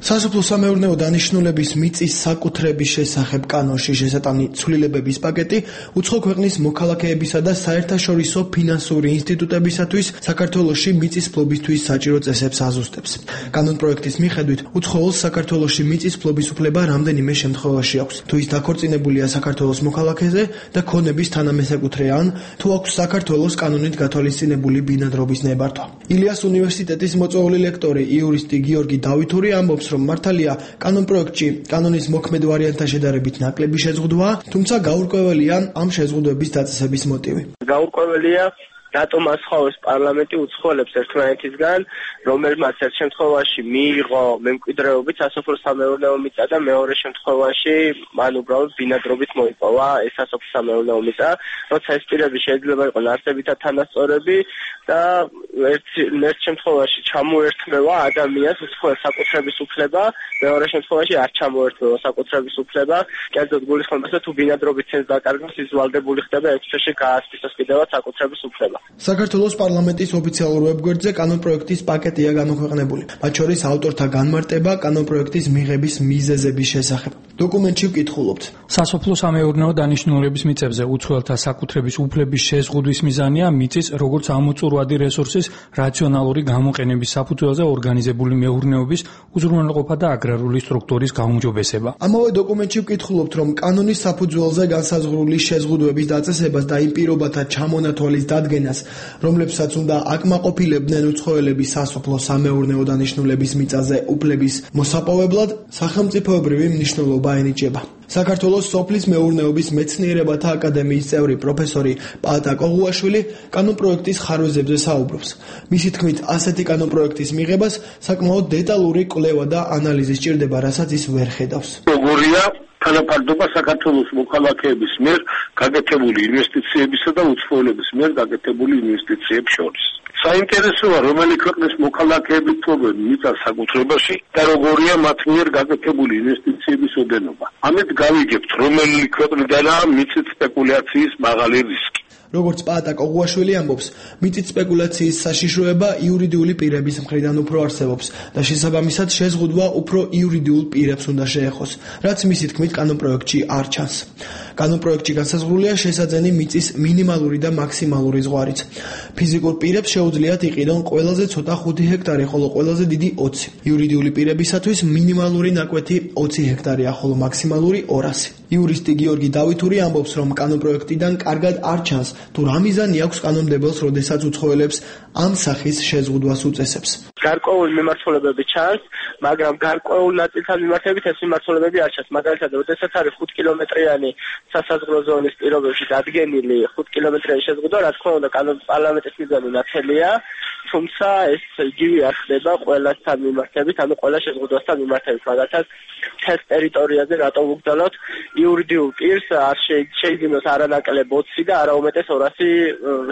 სასოფლო-სამეურნეო დანიშნულების მიწის საკუთრების შესახებ კანონში შესატანი ცვლილებების პაკეტი უცხო ქვეყნის მოქალაქეებისა და საერთაშორისო ფინანსური ინსტიტუტებისათვის საქართველოში მიწის ფლობისთვის საჭირო წესებს აზუსტებს. კანონპროექტის მიხედვით უცხოელს საქართველოში მიწის ფლობის უფლება რამდენიმე შემთხვევაში აქვს. თუ ის დაქორწინებულია საქართველოს მოქალაქეზე და ქონების თანამესაკუთრე ან თუ აქვს საქართველოს კანონით გათვალისწინებული ბინადრობის ნებართვა. ილიას უნივერსიტეტის მოწვეული ლექტორი იურისტი გიორგი დავითური ამბობს, რომ მართალია კანონპროექტში კანონის მოქმედ ვარიანტთან შედარებით ნაკლები შეზღუდვაა, თუმცა გაურკვეველია ამ შეზღუდვების დაწესების მოტივი. გაურკვეველია რატომ ასხავებს პარლამენტი უცხოელებს ერთმანეთისგან, რომელმაც ერთ შემთხვევაში მიიღო მემკვიდრეობით სასოფლო-სამეურნეო მიწა და მეორე შემთხვევაში მან უბრალოდ ბინადრობით მოიპოვა ეს სასოფლო-სამეურნეო მიწა, როცა ეს პირები შეიძლება იყოს არსებითად თანასწორები და ერთ შემთხვევაში ჩამოერთმევა ადამიანს უცხოელ საკუთრების უფლება, მეორე შემთხვევაში არ ჩამოერთმევა საკუთრების უფლება, კერძოდ გულისხმობს, თუ ბინადრობით ცენს დაკარგავს, ის ვალდებული ხდება 6 თვეში გაასპისოს კიდევაც საკუთრების უფლება. საქართველოს პარლამენტის ოფიციალურ ვებგვერდზე კანონპროექტის პაკეტია გამოქვეყნებული. მათ შორის ავტორთა განმარტება კანონპროექტის მიღების მიზეზების შესახებ. დოკუმენტში ვკითხულობთ. სასოფლო-სამეურნეო დანიშნულების მიწებზე უცხოელთა საკუთრების უფლების შეზღუდვის მიზანია მიწის როგორც ამოწურვადი რესურსის რაციონალური გამოყენების საფუძველზე ორგანიზებული მეურნეობის უზრუნველყოფა და აგრარული სტრუქტურის გაუმჯობესება. ამავე დოკუმენტში ვკითხულობთ, რომ კანონის საფუძველზე განსაზღვრული შეზღუდვების დაწესებას და იმ პირობათა ჩამონათვალის დადგენას, რომლებსაც უნდა აკმაყოფილებდნენ უცხოელები სასოფლო-სამეურნეო დანიშნულების მიწაზე უფლების მოსაპოვებლად, სახელმწიფოებრივი მნიშვნელობა ენიჭება. საქართველოს სოფლის მეურნეობის მეცნიერებათა აკადემიის წევრი პროფესორი პაატა კოღუაშვილი კანონპროექტის ხარვეზებზე საუბრობს. მისი თქმით, ასეთი კანონპროექტის მიღებას საკმაოდ დეტალური კვლევა და ანალიზი სჭირდება, რასაც ის ვერ ხედავს. როგორია თანაფარდობა საქართველოს მოქალაქეების მიერ გაკეთებული ინვესტიციებისა და უცხოელების მიერ გაკეთებული ინვესტიციების შორის. საინტერესოა, რომელი ქვეყნის მოქალაქეები ფლობენ მიწას საკუთრებაში და როგორია მათ მიერ გაკეთებული ინვესტიციების ოდენობა. ამით გავიგებთ, რომელი ქვეყნიდანაა მიწით სპეკულაციის მაღალი რისკი. როგორც პაატა კოღუაშვილი ამბობს, მიწით სპეკულაციის საშიშროება იურიდიული პირების მხრიდან უფრო არსებობს და შესაბამისად შეზღუდვა უფრო იურიდიულ პირებს უნდა შეეხოს, რაც მისი თქმით კანონპროექტში არ ჩანს. კანონპროექტში განსაზღვრულია შესაძენი მიწის მინიმალური და მაქსიმალური ზღვარიც. ფიზიკურ პირებს შეუძლიათ იყიდონ ყველაზე ცოტა 5 ჰექტარი, ხოლო ყველაზე დიდი 20. იურიდიული პირებისათვის მინიმალური ნაკვეთი 20 ჰექტარია, ხოლო მაქსიმალური 200. იურისტი გიორგი დავითური ამბობს, რომ კანონპროექტიდან კარგად არ ჩანს, თუ რა მიზანი აქვს კანონმდებელს, როდესაც უცხოელებს ამ სახის შეზღუდვას უწესებს. გარკვეული მიმართულებები ჩანს, მაგრამ გარკვეულ ნაწილთან მიმართებით ეს მიმართულებები არ ჩანს. მაგალითად, როდესაც არის 5 კილომეტრიანი სასაზღვრო ზონის პირობებში დადგენილი 5 კილომეტრიანი შეზღუდვა, რა თქმა უნდა, პარლამენტის მიზანი ნათელია, თუმცა ეს იგივე არ ხდება ყველასთან მიმართებით, ანუ ყველა შეზღუდვასთან მიმართებით. მაგალითად, თეს ტერიტორიაზე რატომ უგდალოთ იურიდიულ პირს არ შეიძინოს არანაკლებ 20 და არა უმეტეს 200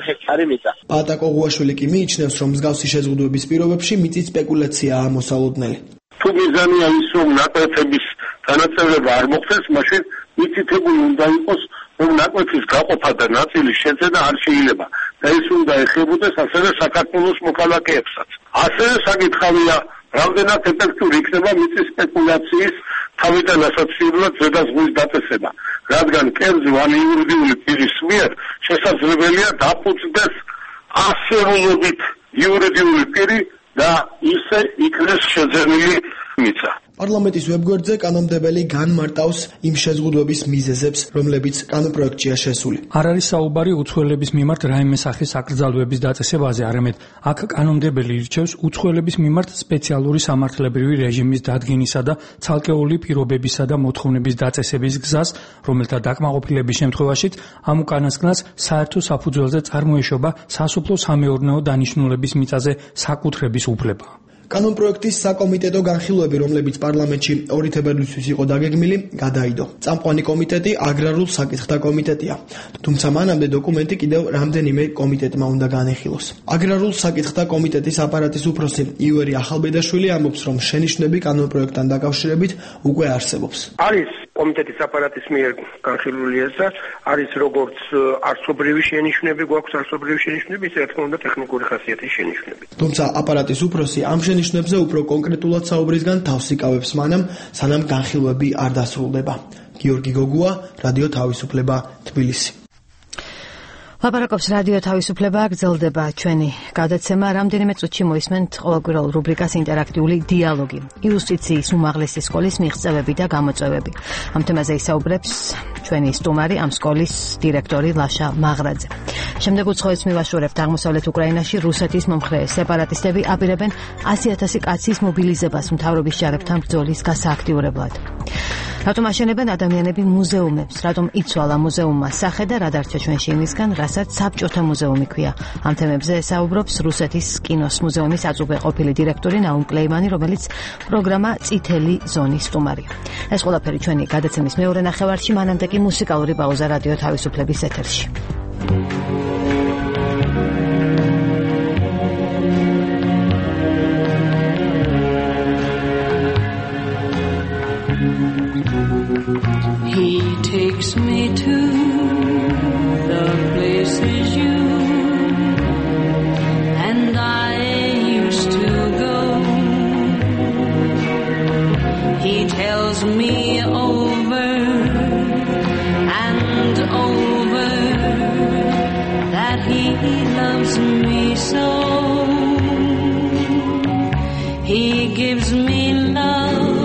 ჰექტარი მიწა. პატა კოღუაშვილი კი მიიჩნევს, რომ მსგავსი შეზღუდვების პირობებში მიწის სპეკულაციაა მოსალოდნელი. თუ მიზანია ის, რომ ნაკვეთების განაწევრება არ მოხდეს, მაშინ მითითებული უნდა იყოს, რომ ნაკვეთის გაყოფა და ნაწილის შეძენა არ შეიძლება და ეს უნდა ეხებოდეს ასევე საქართველოს მოქალაქეებსაც. ასევე საკითხავია, რამდენად ეფექტური იქნება მიწის სპეკულაციის თავიდან ასაცილებლად ზედაზღვის დაწესება, რადგან კერძო ან იურიდიული პირის მიერ შესაძლებელია დაფუძნდეს ასეულობით იურიდიული პირი და ისე იქნეს შეძენილი მიწა. პარლამენტის ვებგვერდზე კანონმდებელი განმარტავს იმ შეზღუდვების მიზეზებს, რომლებიც კანონპროექტშია შესული. არ არის საუბარი უცხოელების მიმართ რაიმე სახის აკრძალვების დაწესებაზე, არამედ აქ კანონმდებელი ირჩევს უცხოელების მიმართ სპეციალური სამართლებრივი რეჟიმის დადგენისა და ცალკეული პირობებისა და მოთხოვნების დაწესების გზას, რომელთა დაკმაყოფილების შემთხვევაშიც ამ უკანასკნელს საერთო საფუძველზე წარმოეშობა სასოფლო-სამეურნეო დანიშნულების მიწაზე საკუთრების უფლება. კანონპროექტის საკომიტეტო განხილვები, რომლებიც პარლამენტში 2 თებერვლისთვის იყო დაგეგმილი, გადაიდო. წამყვანი კომიტეტი აგრარულ საკითხთა კომიტეტია. თუმცა მანამდე დოკუმენტი კიდევ რამდენიმე კომიტეტმა უნდა განეხილოს. აგრარულ საკითხთა კომიტეტის აპარატის უფროსი ივერი ახალბედაშვილი ამბობს, რომ შენიშვნები კანონპროექტთან დაკავშირებით უკვე არსებობს. არის კომიტეტის აპარატის მიერ განხილული ეს და არის როგორც არსობრივი შენიშვნები, გვაქვს არსობრივი შენიშვნები, ისე რა თქმა უნდა ტექნიკური ხასიათის შენიშვნები. თუმცა აპარატის უფროსი ამ შენიშვნებზე უფრო კონკრეტულად საუბრისგან თავს იკავებს მანამ, სანამ განხილვები არ დასრულდება. გიორგი გოგუა, რადიო თავისუფლება, თბილისი. ლაპარაკობს რადიო თავისუფლება, გრძელდება ჩვენი გადაცემა. რამდენიმე წუთში მოისმენთ ყოველკვირეულ რუბრიკას ინტერაქტიული დიალოგი. იუსტიციის უმაღლესი სკოლის მიღწევები და გამოწვევები. ამ თემაზე ისაუბრებს ჩვენი სტუმარი, ამ სკოლის დირექტორი ლაშა მაღრაძე. შემდეგ უცხოეთს მივაშორებთ აღმოსავლეთ უკრაინაში რუსეთის მომხრე სეპარატისტები აპირებენ 100,000 კაცის მობილიზებას მთავრობის ჯარებთან ბრძოლის გასააქტიურებლად. რატომ აშენებენ ადამიანები მუზეუმებს? რატომ იცვალა მუზეუმმა სახე და რა დარჩა ჩვენში იმისგან, რასაც საბჭოთა მუზეუმი ქვია? ამ თემებზე ესაუბრობს რუსეთის კინოს მუზეუმის აწუბე ყოფილი დირექტორი ნაუმ კლეიმანი, რომელიც პროგრამა წითელი ზონის სტუმარია. ეს ყველაფერი ჩვენი გადაცემის მეორე ნახევარში, მანამდე კი მუსიკალური პაუზა რადიო თავისუფლების ეთერში. He takes me to the places you and I used to go. He tells me over and over that he loves me so. He gives me love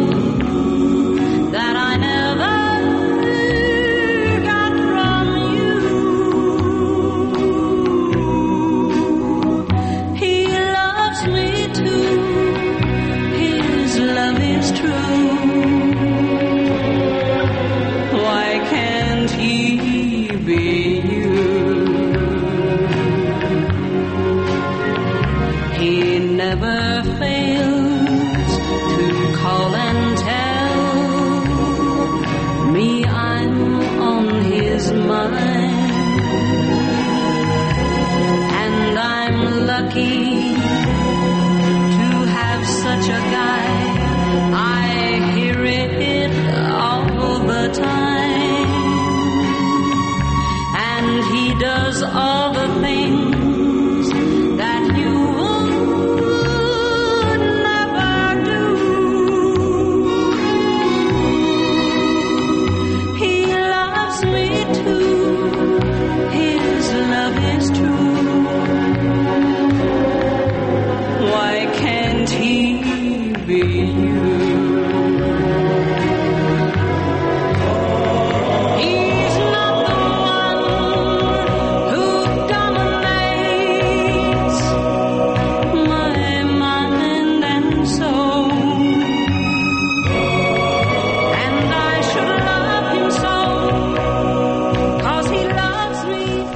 that I never got from you. He loves me too. His love is true. Why can't he be you?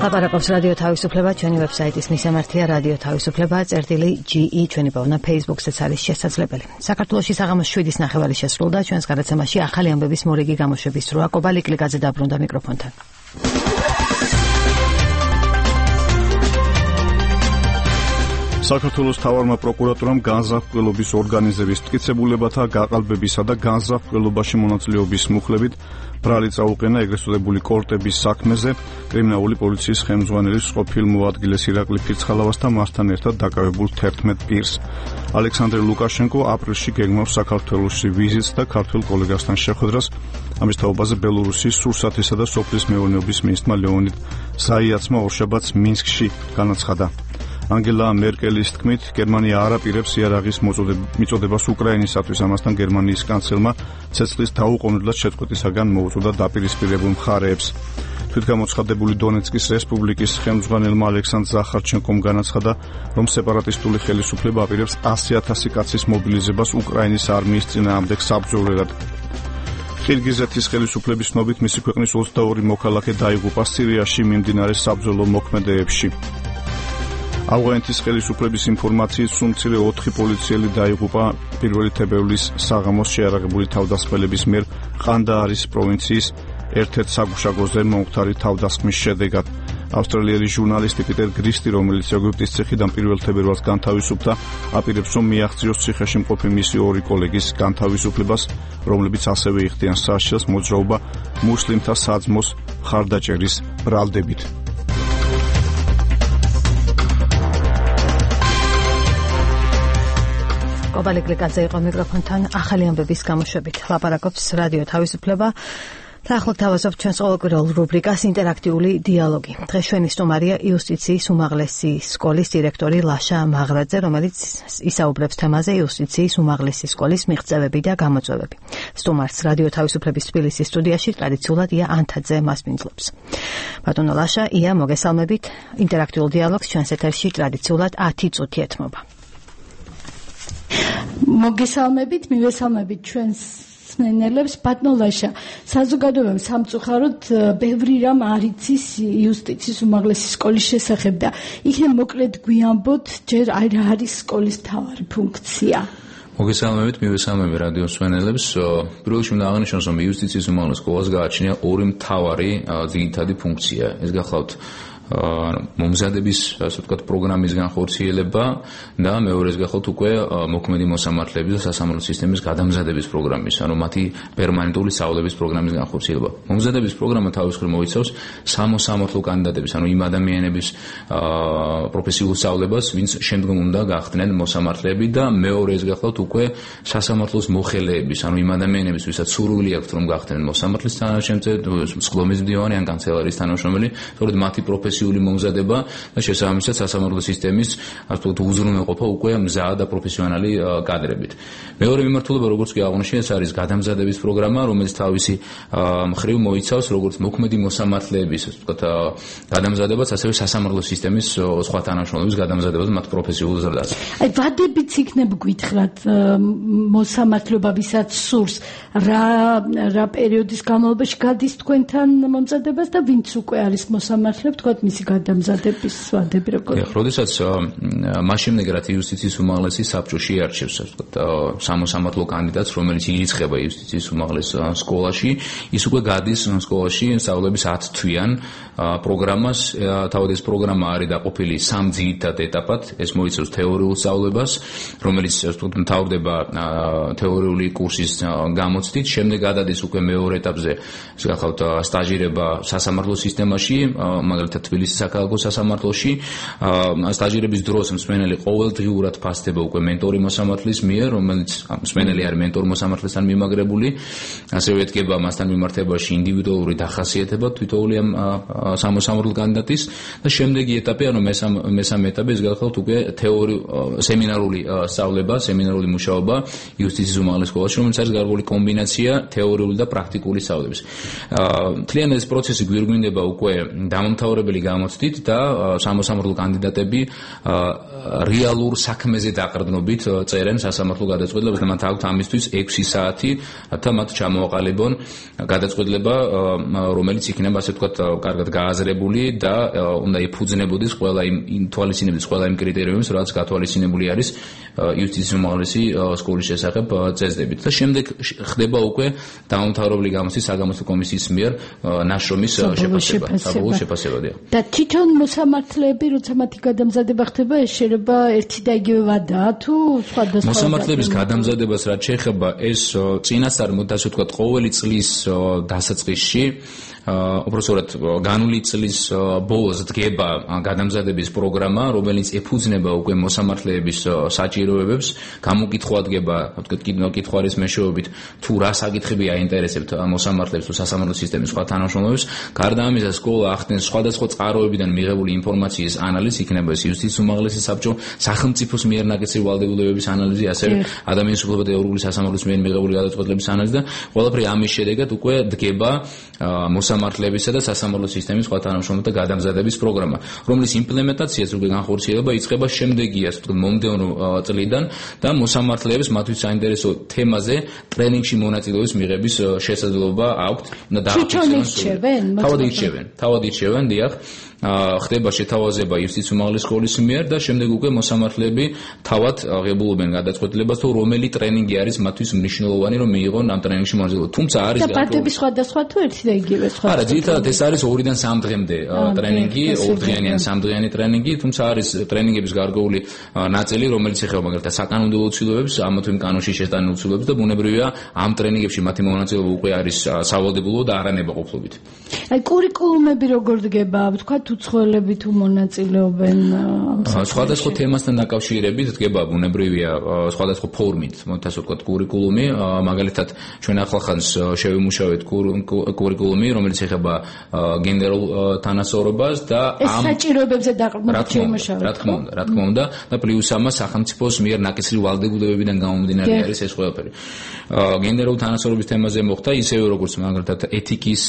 ლაპარაკობს რადიო თავისუფლება, ჩვენი ვებსაიტის მისამართია რადიო თავისუფლება, წერტილი GE, ჩვენი პოვნა Facebook-საც არის შესაძლებელი. საქართველოში საღამოს 7-ის ნახევარი შესრულდა, ჩვენს გადაცემაში ახალი ამბების მორიგი გამოშვების დროა. კობალი კლიკაძე დაბრუნდა მიკროფონთან. საქართველოს მთავარმა პროკურატურამ განზრახველობის ორგანიზების მტკიცებულებათა გაყალბებისა და განზრახველობაში მონაწილეობის მუხლებით ბრალი წაუყენა ეგრეთ წოდებული კორტების საქმეზე კრიმინალური პოლიციის ხელმძღვანელის ყოფილ მოადგილეს ირაკლი ფირცხალავასთან მასთან ერთად დაკავებულ 11 პირს. ალექსანდრე ლუკაშენკო აპრილში გეგმავს საქართველოში ვიზიტს და ქართველ კოლეგასთან შეხვედრას. ამის თაობაზე ბელორუსის სურსათისა და სოფლის მეურნეობის მინისტრმა ლეონიდ ზაიაცმა ორშაბათს მინსკში განაცხადა. ანგელა მერკელის თქმით, გერმანია არ აპირებს იარაღის მიწოდებას უკრაინისათვის, ამასთან გერმანიის კანცელმა ცეცხლის დაუყოვნებლად შეწყვეტისაგან მოუწოდა დაპირისპირებულ მხარეებს. თვითგამოცხადებული დონეცკის რესპუბლიკის ხელმძღვანელმა ალექსანდრ ზახარჩენკომ განაცხადა, რომ სეპარატისტული ხელისუფლება აპირებს 100,000 კაცის მობილიზებას უკრაინის არმიის წინააღმდეგ საბრძოლველად. ყირგიზეთის ხელისუფლების ცნობით მისი ქვეყნის 22 მოქალაქე დაიღუპა სირიაში მიმდინარე საბრძოლო მოქმედებებში. ავღანეთის ხელისუფლების ინფორმაციით სულ 4 პოლიციელი დაიღუპა 1 თებერვლის საღამოს შეიარაღებული თავდასხმელების მიერ ყანდაარის პროვინციის ერთ-ერთ საგუშაგოზე მომხდარი თავდასხმის შედეგად. ავსტრალიელი ჟურნალისტი პიტერ გრისტი, რომელიც ეგვიპტის ციხიდან 1 თებერვალს განთავისუფლდა, აპირებს, რომ მიაღწიოს ციხეში მყოფი მისი 2 კოლეგის განთავისუფლებას, რომლებიც ასევე იხდიან სასჯელს მოძრაობა მუსლიმთა საძმოს მხარდაჭერის ბრალდებით. კობალი კლიკაძე იყო მიკროფონთან ახალი ამბების გამოშვებით. ლაპარაკობს რადიო თავისუფლება. და ახლა თავაზობთ ჩვენს ყოველკვირეულ რუბრიკას ინტერაქტიული დიალოგი. დღეს ჩვენი სტუმარია იუსტიციის უმაღლესი სკოლის დირექტორი ლაშა მაღრაძე, რომელიც ისაუბრებს თემაზე იუსტიციის უმაღლესი სკოლის მიღწევები და გამოწვევები. სტუმარს რადიო თავისუფლების თბილისის სტუდიაში ტრადიციულად ია ანთაძე მასპინძლობს. ბატონო ლაშა, ია, მოგესალმებით. ინტერაქტიულ დიალოგს ჩვენს ეთერში ტრადიციულად 10 წუთი ეთმობა. მოგესალმებით, მივესალმებით ჩვენს მსმენელებს. ბატონო ლაშა, საზოგადოებამ სამწუხაროდ ბევრი რამ არ იცის იუსტიციის უმაღლესი სკოლის შესახებ და იქნებ მოკლედ გვიამბოთ, ჯერ არ არის სკოლის მთავარი ფუნქცია. მოგესალმებით, მივესალმები რადიო მსმენელებს. პირველ რიგში უნდა აღნიშნოს, რომ იუსტიციის უმაღლეს სკოლას გააჩნია 2 მთავარი ძირითადი ფუნქცია. ეს გახლავთ მომზადების, ასე ვთქვათ, პროგრამის განხორციელება და მეორეს გახლავთ უკვე მოქმედი მოსამართლეების და სასამართლო სისტემის გადამზადების პროგრამის, ანუ მათი პერმანენტული სწავლების პროგრამის განხორციელება. მომზადების პროგრამა თავის მხრივ მოიცავს სამოსამართლო კანდიდატების, ანუ იმ ადამიანების პროფესიულ სწავლებას, ვინც შემდგომ უნდა გახდნენ მოსამართლეები და მეორეს გახლავთ უკვე სასამართლოს მოხელეების, ანუ იმ ადამიანების, ვისაც სურვილი აქვთ რომ გახდნენ მოსამართლის თანაშემწე, სხდომის მდივანი ან კანცელარიის თანამშრომელი, სწორედ მათი პროფესიული მომზადება და შესაბამისად სასამართლო სისტემის, ასე ვთქვათ, უზრუნველყოფა უკვე მზაა და პროფესიონალი კადრებით. მეორე მიმართულება, როგორც კი აღნიშნე, ეს არის გადამზადების პროგრამა, რომელიც თავისი მხრივ მოიცავს როგორც მოქმედი მოსამართლეების, ასე ვთქვათ, გადამზადებას, ასევე სასამართლო სისტემის სხვა თანამშრომლების გადამზადებას მათ პროფესიულ ზრდაზე. აი, ვადებიც იქნებ გითხრათ მოსამართლეობა, ვისაც სურს, რა პერიოდის განმავლობაში გადის თქვენთან მომზადებას და ვინც უკვე არის მოსამართლე, ვთქვათ, მისი გადამზადების ვადები როგორია? როდესაც მას შემდეგ რაც იუსტიციის უმაღლესი საბჭო შეარჩევს, ასე ვთქვათ, სამოსამართლო კანდიდატს, რომელიც ირიცხება იუსტიციის უმაღლეს სკოლაში, ის უკვე გადის სკოლაში სწავლების 10 თვიან პროგრამას. თავად ეს პროგრამა არის დაყოფილი 3 ძირითად ეტაპად. ეს მოიცავს თეორიულ სწავლებას, რომელიც, ასე ვთქვათ, მთავრდება თეორიული კურსის გამოცდით, შემდეგ გადადის უკვე მეორე ეტაპზე, ეს გახლავთ სტაჟირება სასამართლო სისტემაში, მაგალითად თბილისის საქალაქო სასამართლოში. სტაჟირების დროს მსმენელი ყოველდღიურად ფასდება უკვე მენტორი მოსამართლის მიერ, რომელიც მსმენელი არის მენტორ მოსამართლესთან მიმაგრებული, ასევე ედგება მასთან მიმართებაში ინდივიდუალური დახასიათება თითოეული ამ სამოსამართლო კანდიდატის და შემდეგი ეტაპი, ანუ მესამე ეტაპი, ეს გახლავთ უკვე სემინარული სწავლება, სემინარული მუშაობა იუსტიციის უმაღლეს სკოლაში, რომელიც არის გარკვეული კომბინაცია თეორიული და პრაქტიკული სწავლების. მთლიანად ეს პროცესი გვირგვინდება უკვე დამამთავრებელი გამოცდით და სამოსამართლო კანდიდატები რეალურ საქმეზე დაყრდნობით წერენ სასამართლო გადაწყვეტილებას და მათ აქვთ ამისთვის 6 საათი, რათა მათ ჩამოაყალიბონ გადაწყვეტილება, რომელიც იქნება ასე ვთქვათ კარგად გააზრებული და უნდა ეფუძნებოდეს ყველა იმ თვალისწინებდეს ყველა იმ კრიტერიუმებს, რაც გათვალისწინებული არის იუსტიციის უმაღლესი სკოლის შესახებ წესდებით. და შემდეგ ხდება უკვე დაუმთავრებელი გამოცდის საგამოცდო კომისიის მიერ ნაშრომის შეფასება. და თვითონ მოსამართლეები, როცა მათი გადამზადება ხდება, ეს შეიძლება ერთი და იგივე ვადაა თუ სხვადასხვა მოსამართლეების გადამზადებას რაც შეეხება ეს წინასწარ ასე ვთქვათ ყოველი წლის დასაწყისში უბრალოდ განული წლის ბოლოს დგება გადამზადების პროგრამა, რომელიც ეფუძნება უკვე მოსამართლეების საჭიროებებს, გამოკითხვა დგება, ვთქვათ, კითხვის მეშვეობით, თუ რა საკითხები აინტერესებთ მოსამართლეებს თუ სასამართლო სისტემის სხვა თანამშრომლებს. გარდა ამისა, სკოლა ახდენს სხვადასხვა წყაროებიდან მიღებული ინფორმაციის ანალიზი, იქნება ეს იუსტიციის უმაღლესი საბჭო, სახელმწიფოს მიერ ნაკისრი ვალდებულებების ანალიზი, ასევე ადამიანის უფლებათა და ეროვნული სასამართლოს მიერ მიღებული გადაწყვეტილების ანალიზი და ყველაფერი ამის შედეგად უკვე დგება მოსამართლებისა და სასამართლო სისტემის სხვა თანამშრომელთა გადამზადების პროგრამა, რომლის იმპლემენტაციაც უკვე განხორციელება იწყება შემდეგია, ასე ვთქვათ, მომდევნო წლიდან და მოსამართლეებს მათთვის საინტერესო თემაზე ტრენინგში მონაწილეობის მიღების შესაძლებლობა აქვთ. უნდა დაახერხონ. თავად ირჩევენ, დიახ. ხდება შეთავაზება იუსტიციის უმაღლესი სკოლის მიერ და შემდეგ უკვე მოსამართლეები თავად აღებულობენ გადაწყვეტილებას, თუ რომელი ტრენინგი არის მათთვის მნიშვნელოვანი, რომ მიიღონ ამ ტრენინგში მონაწილეობა. თუმცა არის და პარტიების სხვადასხვა თუ ერთი და იგივე სხვა. არა, ძირითადად ეს არის 2-დან 3 დღემდე ტრენინგი, 2დღიანი ან 3 დღიანი ტრენინგი, თუმცა არის ტრენინგების გარკვეული ნაწილი, რომელიც ეხება მაგალითად საკანონმდებლო უცილობებს, ამა თუ იმ კანონში შეტანილ უცილობებს და ბუნებრივია ამ ტრენინგებში მათი მონაწილეობა უკვე არის სავალდებულო და არანებაყოფლობით. აი კურიკულუმები როგორ დგება, ვთქვათ, უცხოელები თუ მონაწილეობენ სხვადასხვა თემასთან დაკავშირებით დგება ბუნებრივია სხვადასხვა ფორმით, ასე ვთქვათ, კურიკულუმი, მაგალითად ჩვენ ახლახანს შევიმუშავეთ კურიკულუმი, რომელიც ეხება გენდერულ თანასწორობას და ამ საჭიროებებზე დაყრდნობით შევიმუშავეთ. რა თქმა უნდა, და პლუს ამას სახელმწიფოს მიერ ნაკისრი ვალდებულებებიდან გამომდინარე არის ეს ყველაფერი. გენდერულ თანასწორობის თემაზე მოხდა ისევე როგორც მაგალითად ეთიკის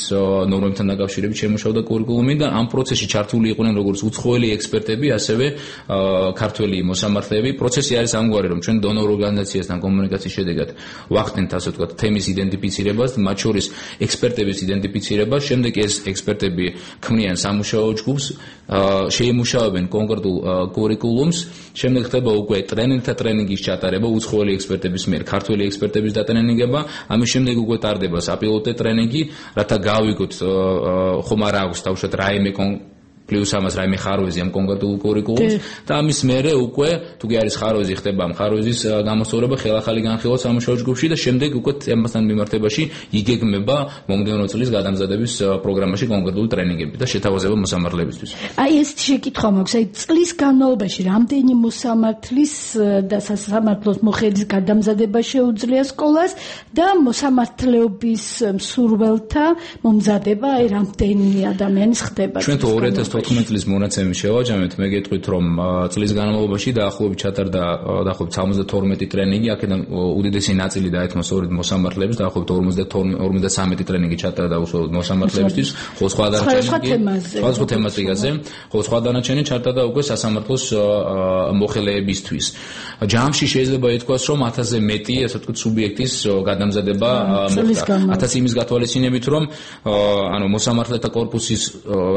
ნორმებთან დაკავშირებით შემუშავდა კურიკულუმი და ამ პროცესში ჩართული იყვნენ როგორც უცხოელი ექსპერტები, ასევე ქართველი მოსამართლეები. პროცესი არის ამგვარი, რომ ჩვენ დონორ ორგანიზაციასთან კომუნიკაციის შედეგად ვახდენთ, ასე ვთქვათ, თემის იდენტიფიცირებას, მათ შორის ექსპერტების იდენტიფიცირებას, შემდეგ ეს ექსპერტები ქმნიან სამუშაო ჯგუფს, შეიმუშავებენ კონკრეტულ კურიკულუმს, შემდეგ ხდება უკვე ტრენინგთა ტრენინგის ჩატარება უცხოელი ექსპერტების მიერ, ქართველი ექსპერტების დატრენინგება, ამის შემდეგ უკვე ტარდება საპილოტო ტრენინგი, რათა გავიგოთ ხომ არა აქვს თავშოთ რაიმე პლუს ამას რაიმე ხარვეზი ამ კონკრეტულ კურიკულუმს და ამის მერე უკვე თუ კი არის ხარვეზი, ხდება ამ ხარვეზის გამოსწორება ხელახალი განხილვა სამუშაო ჯგუფში და შემდეგ უკვე თემასთან მიმართებაში იგეგმება მომდევნო წლის გადამზადების პროგრამაში კონკრეტული ტრენინგები და შეთავაზება მოსამართლებისთვის. აი ეს შეკითხვა მაქვს, აი წლის განმავლობაში რამდენი მოსამართლის და სასამართლოს მოხელის გადამზადება შეუძლია სკოლას და მოსამართლეობის მსურველთა მომზადება აი რამდენი ადამიანის ხდება? ჩვენ 2014 წლის მონაცემი შევაჯამეთ, მე გეტყვით, რომ წლის განმავლობაში დაახლოებით ჩატარდა დაახლოებით 72 ტრენინგი, აქედან უდიდესი ნაწილი დაეთმო სწორედ მოსამართლეებს, დაახლოებით 53 ტრენინგი ჩატარდა უშუალოდ მოსამართლეებისთვის, ხო სხვა თემაზე, ხო სხვა დანარჩენი ჩატარდა უკვე სასამართლოს მოხელეებისთვის. ჯამში შეიძლება ითქვას, რომ 1000-ზე მეტი, ასე ვთქვათ, სუბიექტის გადამზადება მოხდა. 1000 იმის გათვალისწინებით, რომ ანუ მოსამართლეთა კორპუსის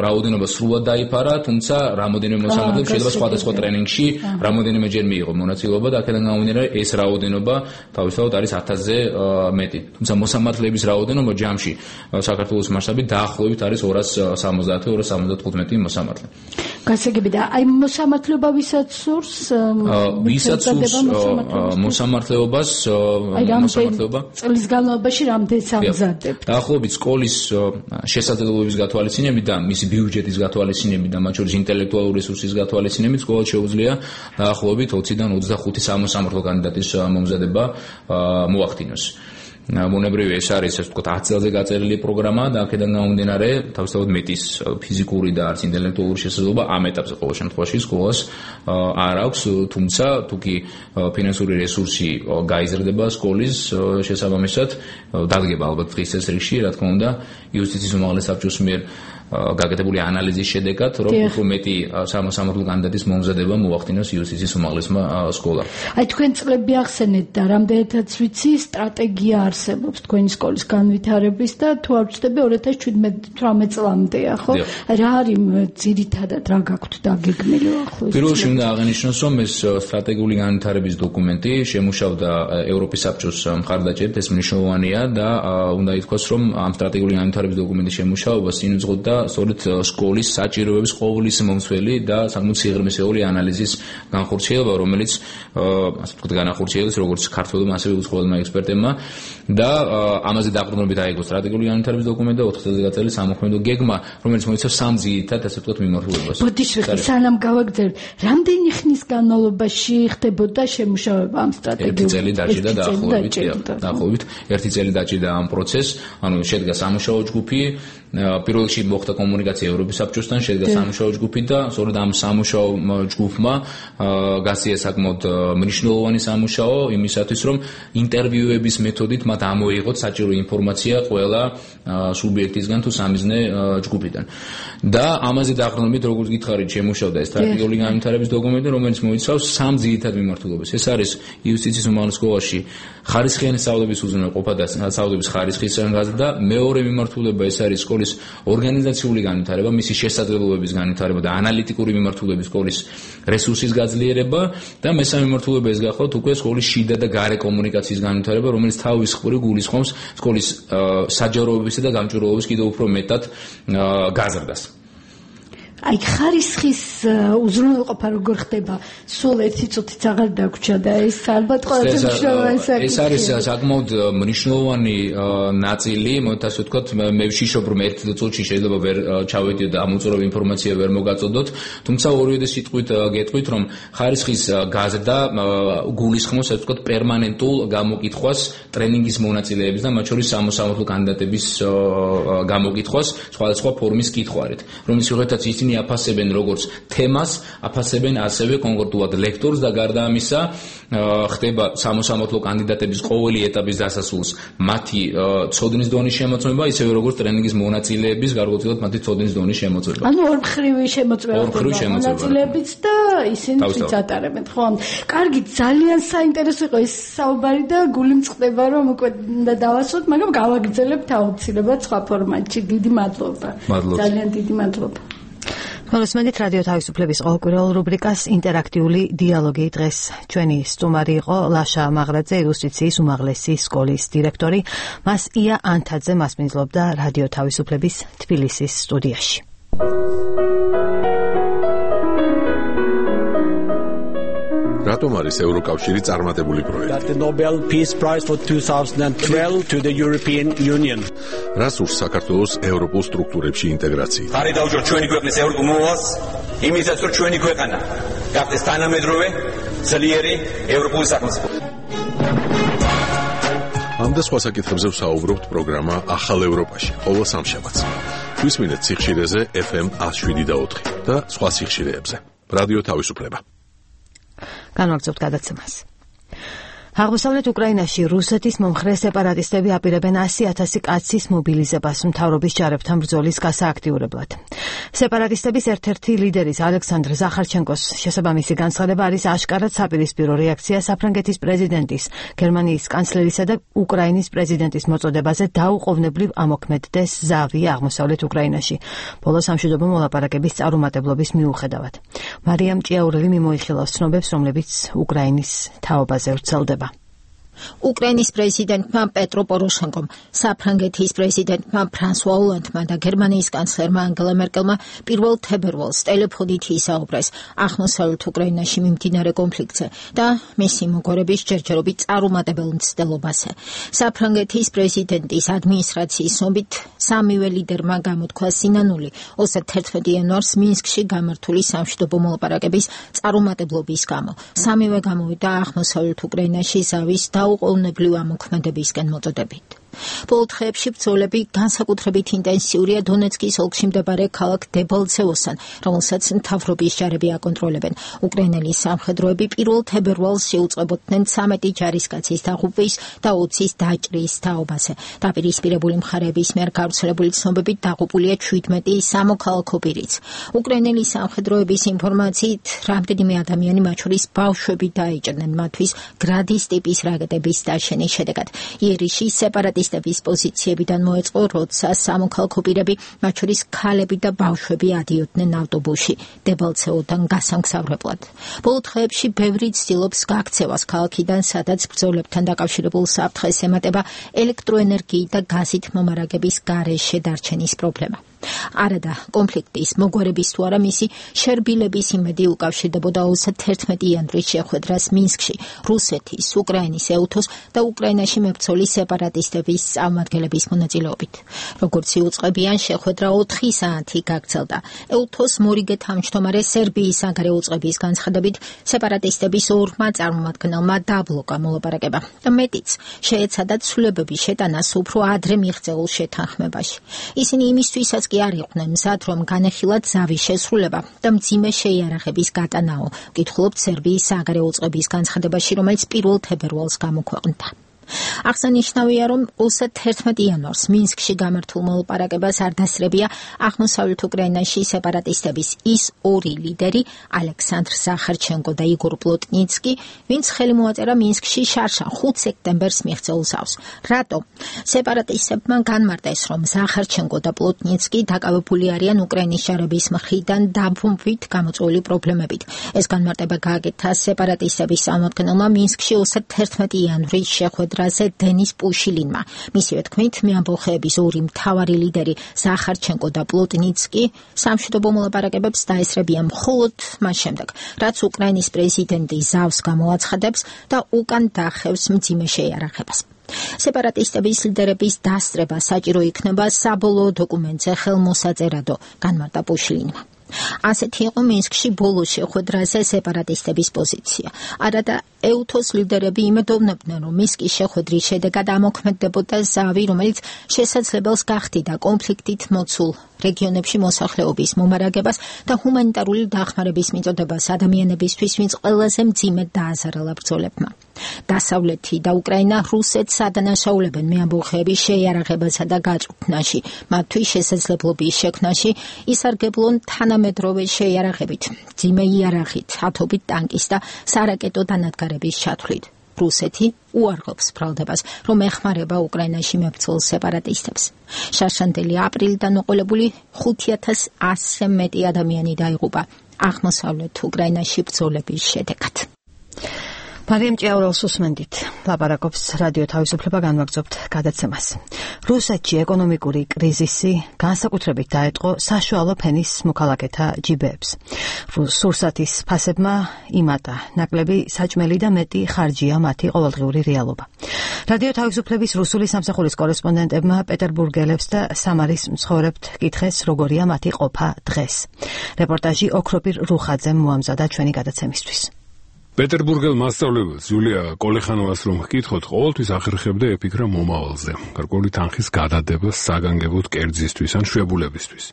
რაოდენობა სრულად დაიფარა, თუმცა რამოდენიმე მოსამართლეებს შეიძლება სხვადასხვა ტრენინგში რამოდენიმეჯერ მიიღო მონაწილეობა და აქედან გამომდინარე ეს რაოდენობა თავისთავად არის 1000-ზე მეტი. თუმცა მოსამართლეების რაოდენობა ჯამში საქართველოს მასშტაბით დაახლოებით არის 270-275 მოსამართლე. გასაგები და აი მოსამართლეობა ვისაც სურს მოსამართლეობას წლის განმავლობაში რამდენს ამზადებთ? დაახლოებით სკოლის შესაძლებლობების გათვალისწინებით და მისი ბიუჯეტის გათვალისწინებით და მათ შორის ინტელექტუალური რესურსის გათვალისწინებით სკოლას შეუძლია დაახლოებით 20-დან 25 სამოსამართლო კანდიდატის მომზადება მოახდინოს. ბუნებრივია ეს არის ასე ვთქვათ 10 წელზე გაწერილი პროგრამა და აქედან გამომდინარე თავისთავად მეტის ფიზიკური და არც ინტელექტუალური შესაძლებლობა ამ ეტაპზე ყოველ შემთხვევაში სკოლას არ აქვს, თუმცა თუკი ფინანსური რესურსი გაიზრდება სკოლის შესაბამისად დადგება ალბათ დღის წესრიგში, რა თქმა უნდა, იუსტიციის უმაღლეს საბჭოს მიერ გაკეთებული ანალიზის შედეგად, რომ უფრო მეტი სამოსამართლო კანდიდატის მომზადება მოახდინოს იუსტიციის უმაღლესმა სკოლამ. აი თქვენ წლები ახსენეთ და რამდენადაც ვიცი, სტრატეგია არსებობს თქვენი სკოლის განვითარების და თუ არ ვცდები 2017-18 წლამდეა, ხო? რა არის ძირითადად რა გაქვთ დაგეგმილი ახლოს? პირველ რიგში უნდა აღინიშნოს, რომ ეს სტრატეგიული განვითარების დოკუმენტი შემუშავდა ევროპის საბჭოს მხარდაჭერით, ეს მნიშვნელოვანია და უნდა ითქვას, რომ ამ სტრატეგიული განვითარების დოკუმენტის შემუშავება სინუძღოდა სწორედ სკოლის საჭიროებების ყოვლის მომცველი და საკმაოდ სიღრმისეული ანალიზის განხორციელება, რომელიც ასე ვთქვათ, განახორციელეს როგორც ქართველებმა, ასევე უცხოელმა ექსპერტებმა და ამაზე დაყრდნობით აიგო სტრატეგიული განვითარების დოკუმენტი და 4 წელზე გაწეული სამოქმედო გეგმა, რომელიც მოიცავს 3 ძირითად, ასე ვთქვათ, მიმართულებას. ბოდიშვილი, სანამ გავაგრძელებ, რამდენი ხნის განმავლობაში ხდებოდა შემუშავება ამ სტრატეგიულ? 1 წელი დაჭირდა დაახლოებით 1 წელი დაჭირდა ამ პროცესს, ანუ შედგა სამუშაო ჯგუფი, პირველ რიგში მოხდა კომუნიკაცია ევროპის საბჭოსთან, შედგა სამუშაო ჯგუფი და სწორედ ამ სამუშაო ჯგუფმა გასწია საკმაოდ მნიშვნელოვანი სამუშაო იმისათვის, რომ ინტერვიუების მეთოდით მათ ამოიღოთ საჭირო ინფორმაცია ყველა სუბიექტისგან თუ სამიზნე ჯგუფიდან. და ამაზე დაყრდნობით, როგორც გითხარით, შემუშავდა ეს სტრატეგიული განვითარების დოკუმენტი, რომელიც მოიცავს 3 ძირითად მიმართულებას. ეს არის იუსტიციის უმაღლეს სკოლაში ხარისხიანი სწავლების უზრუნველყოფა და სწავლების ხარისხის გაზრდა და მეორე მიმართულება ეს არის სკოლის ორგანიზაციული განვითარება, მისი შესაძლებლობების განვითარება და ანალიტიკური მიმართულების სკოლის რესურსის გაძლიერება და მესამე მიმართულება ეს გახლავთ უკვე სკოლის შიდა და გარე კომუნიკაციის განვითარება, რომელიც თავის მხრივ გულისხმობს სკოლის საჯაროებისა და გამჭვირვალობის კიდევ უფრო მეტად გაზრდას. აი ხარისხის უზრუნველყოფა როგორ ხდება? სულ ერთი წუთიც აღარ დაგვრჩა და ეს ალბათ ყველაზე მნიშვნელოვანი საკითხია. ეს არის საკმაოდ მნიშვნელოვანი ნაწილი, მოით ასე ვთქვათ, მე ვშიშობ რომ ერთ წუთში შეიძლება ვერ ჩავედიო და ამოწურავი ინფორმაცია ვერ მოგაწოდოთ, თუმცა ორივე სიტყვით გეტყვით, რომ ხარისხის გაზრდა გულისხმობს ასე ვთქვათ პერმანენტულ გამოკითხვას ტრენინგის მონაწილეების და მათ შორის სამოსამართლო კანდიდატების გამოკითხვას სხვადასხვა ფორმის კითხვარით, რომლის მიხედვითაც ისინი აფასებენ როგორც თემას, აფასებენ ასევე კონკრეტულად ლექტორს და გარდა ამისა ხდება სამოსამართლო კანდიდატების ყოველი ეტაპის დასასრულს მათი ცოდნის დონის შემოწმება, ისევე როგორც ტრენინგის მონაწილეების გარკვეულწილად მათი ცოდნის დონის შემოწმება. ანუ ორმხრივი შემოწმება ხდება მონაწილეებიც და ისინი აწარებენ, ხო? კარგი, ძალიან საინტერესო იყო ეს საუბარი და გული მწყდება რომ უკვე უნდა დავასვათ, მაგრამ გავაგრძელებთ აუცილებლად სხვა ფორმატში. დიდი მადლობა. ძალიან დიდი მადლობა. მოგესმენთ რადიო თავისუფლების ყოველკვირეულ რუბრიკას ინტერაქტიული დიალოგი. დღეს ჩვენი სტუმარი იყო ლაშა მაღრაძე, იუსტიციის უმაღლესი სკოლის დირექტორი. მას ია ანთაძე მასპინძლობდა რადიო თავისუფლების თბილისის სტუდიაში. რატომ არის ევროკავშირი წარმატებული პროექტი? The Nobel Peace Prize for 2012 to the European Union. რას ურს საქართველოს ევროპულ სტრუქტურებში ინტეგრაცია? ხარი დავუჯოთ ჩვენი ქვეყნის ევროპულ მოვალს, იმისაც რომ ჩვენი ქვეყანა გახდეს თანამედროვე, ძლიერი ევროპული სახელმწიფო. ამ და სხვა საკითხებზე ვსაუბრობთ პროგრამა ახალ ევროპაში, ყოველ სამშაბათს. გვისმინეთ სიხშირეზე FM 107.4 და სხვა სიხშირეებზე. რადიო თავისუფლება. განვაგრძობთ გადაცემას. აღმოსავლეთ უკრაინაში რუსეთის მომხრე სეპარატისტები აპირებენ 100,000 კაცის მობილიზებას მთავრობის ჯარებთან ბრძოლის გასააქტიურებლად. სეპარატისტების ერთ-ერთი ლიდერის ალექსანდრ ზახარჩენკოს შესაბამისი განცხადება არის აშკარად საპირისპირო რეაქცია საფრანგეთის პრეზიდენტის, გერმანიის კანცლერისა და უკრაინის პრეზიდენტის მოწოდებაზე დაუყოვნებლივ ამოქმედდეს ზავი აღმოსავლეთ უკრაინაში. ბოლო სამშვიდობო მოლაპარაკების წარუმატებლობის მიუხედავად. მარიამ ჭიაურელი მიმოიხილავს ცნობებს, რომლებიც უკრაინის თაობაზე ვრცელდება. უკრაინის პრეზიდენტმა პეტრო პოროშენკომ, საფრანგეთის პრეზიდენტმა ფრანსუა ოლანდმა და გერმანიის კანცლერმა ანგელა მერკელმა 1 თებერვალს ტელეფონით ისაუბრეს აღმოსავლეთ უკრაინაში მიმდინარე კონფლიქტზე და მისი მოგვარების ჯერჯერობით წარუმატებელ მცდელობაზე. საფრანგეთის პრეზიდენტის ადმინისტრაციის ცნობით, სამივე ლიდერმა გამოთქვა სინანული 31 იანვარს მინსკში გამართული სამშვიდობო მოლაპარაკების წარუმატებლობის გამო. სამივე გამოვიდა აღმოსავლეთ უკრაინაში ზავის საუყოვნებლივ ამოქმედებისკენ მოწოდებით. ბოლო დღეებში ბრძოლები განსაკუთრებით ინტენსიურია დონეცკის ოლქში მდებარე ქალაქ დებალცევოსთან, რომელსაც მთავრობის ჯარები აკონტროლებენ. უკრაინელი სამხედროები 1 თებერვალს შეუწყებოდნენ 13 ჯარისკაცის დაღუპვის და 20-ის დაჭრის თაობაზე. დაპირისპირებული მხარეების მიერ გავრცელებული ცნობებით დაღუპულია 17 სამოქალაქო პირიც. უკრაინელი სამხედროების ინფორმაციით, რამდენიმე ადამიანი, მათ შორის ბავშვები, დაიჭრნენ მათთვის გრადის ტიპის რაკეტების დაშენის შედეგად. იერიში სეპარატისტების პოზიციებიდან მოეწყო, როცა სამოქალაქო პირები, მათ შორის ქალები და ბავშვები ადიოდნენ ავტობუსში დებალცევოდან გასამგზავრებლად. ბოლო დღეებში ბევრი ცდილობს გაქცევას ქალაქიდან, სადაც ბრძოლებთან დაკავშირებულ საფრთხეს ემატება ელექტროენერგიით და გაზით მომარაგების გარეშე დარჩენის პრობლემა. არადა კონფლიქტის მოგვარების თუ არა მისი შერბილების იმედი უკავშირდებოდა 31 იანვრის შეხვედრას მინსკში, რუსეთის, უკრაინის, ეუთოს და უკრაინაში მებრძოლი სეპარატისტების წარმომადგენლების მონაწილეობით. როგორც იუწყებიან, შეხვედრა 4 საათი გაგრძელდა. ეუთოს მორიგე თავმჯდომარე სერბიის საგარეო უწყების განცხადებით, სეპარატისტების ორმა წარმომადგენელმა დაბლოკა მოლაპარაკება და მეტიც შეეცადა ცვლილებების შეტანას უფრო ადრე მიღწეულ შეთანხმებაში. ისინი იმისთვისაც კი არ იყვნენ მზად, რომ განეხილათ ზავის შესრულება და მძიმე შეიარაღების გატანაო, ვკითხულობთ სერბიის საგარეო უწყების განცხადებაში, რომელიც 1 თებერვალს გამოქვეყნდა. აღსანიშნავია, რომ 31 იანვარს მინსკში გამართულ მოლაპარაკებას არ დასწრებია აღმოსავლეთ უკრაინაში სეპარატისტების ის 2 ლიდერი, ალექსანდრ ზახარჩენკო და იგორ პლოტნიცკი, ვინც ხელი მოაწერა მინსკში შარშან 5 სექტემბერს მიღწეულ ზავს. რატომ? სეპარატისტებმა განმარტეს, რომ ზახარჩენკო და პლოტნიცკი დაკავებული არიან უკრაინის ჯარების მხრიდან დაბრუნებით გამოწვეული პრობლემებით. ეს განმარტება გააკეთა სეპარატისტების წარმომადგენელმა მინსკში 31 იანვრის შეხვედრაზე დენის პუშილინმა. მისივე თქმით, მეამბოხეების 2 მთავარი ლიდერი ზახარჩენკო და პლოტნიცკი სამშვიდობო მოლაპარაკებებს დაესწრებიან მხოლოდ მას შემდეგ, რაც უკრაინის პრეზიდენტი ზავს გამოაცხადებს და უკან დახევს მძიმე შეიარაღებას. სეპარატისტების ლიდერების დასწრება საჭირო იქნება საბოლოო დოკუმენტზე ხელმოსაწერადო, განმარტა პუშილინმა. ასეთი იყო მინსკში ბოლო შეხვედრაზე სეპარატისტების პოზიცია. არადა ეუთოს ლიდერები იმედოვნებდნენ, რომ მინსკის შეხვედრის შედეგად ამოქმედდებოდა ზავი, რომელიც შესაძლებელს გახდიდა კონფლიქტით მოცულ რეგიონებში მოსახლეობის მომარაგებას და ჰუმანიტარული დახმარების მიწოდებას ადამიანებისთვის, ვინც ყველაზე მძიმედ დააზარალა ბრძოლებმა. დასავლეთი და უკრაინა რუსეთს ადანაშაულებენ მეამბოხეების შეიარაღებასა და გაწვრთნაში, მათთვის შესაძლებლობის შექმნაში, ისარგებლონ თანამედროვე შეიარაღებით, მძიმე იარაღით, ათობით ტანკის და სარაკეტო დანადგარების ჩათვლით. რუსეთი უარყოფს ბრალდებას, რომ ეხმარება უკრაინაში მებრძოლ სეპარატისტებს. შარშანდელი აპრილიდან მოყოლებული 5100-ზე მეტი ადამიანი დაიღუპა აღმოსავლეთ უკრაინაში ბრძოლების შედეგად. მარიამ ჭიაურელს უსმენდით. ლაპარაკობს რადიო თავისუფლება, განვაგრძობთ გადაცემას. რუსეთში ეკონომიკური კრიზისი განსაკუთრებით დაეტყო საშუალო ფენის მოქალაქეთა ჯიბეებს. სურსათის ფასებმა იმატა ნაკლები საჭმელი და მეტი ხარჯია მათი ყოველდღიური რეალობა. რადიო თავისუფლების რუსული სამსახურის კორესპონდენტებმა პეტერბურგელებს და სამარის მცხოვრებთ კითხეს, როგორია მათი ყოფა დღეს. რეპორტაჟი ოქროპირ რუხაძემ მოამზადა ჩვენი გადაცემისთვის. პეტერბურგელ მასწავლებელს იულია კოლეხანოვას რომ ჰკითხოთ, ყოველთვის ახერხებდა ეფიქრა მომავალზე, გარკვეული თანხის გადადებას საგანგებოდ კერძისთვის ან შვებულებისთვის.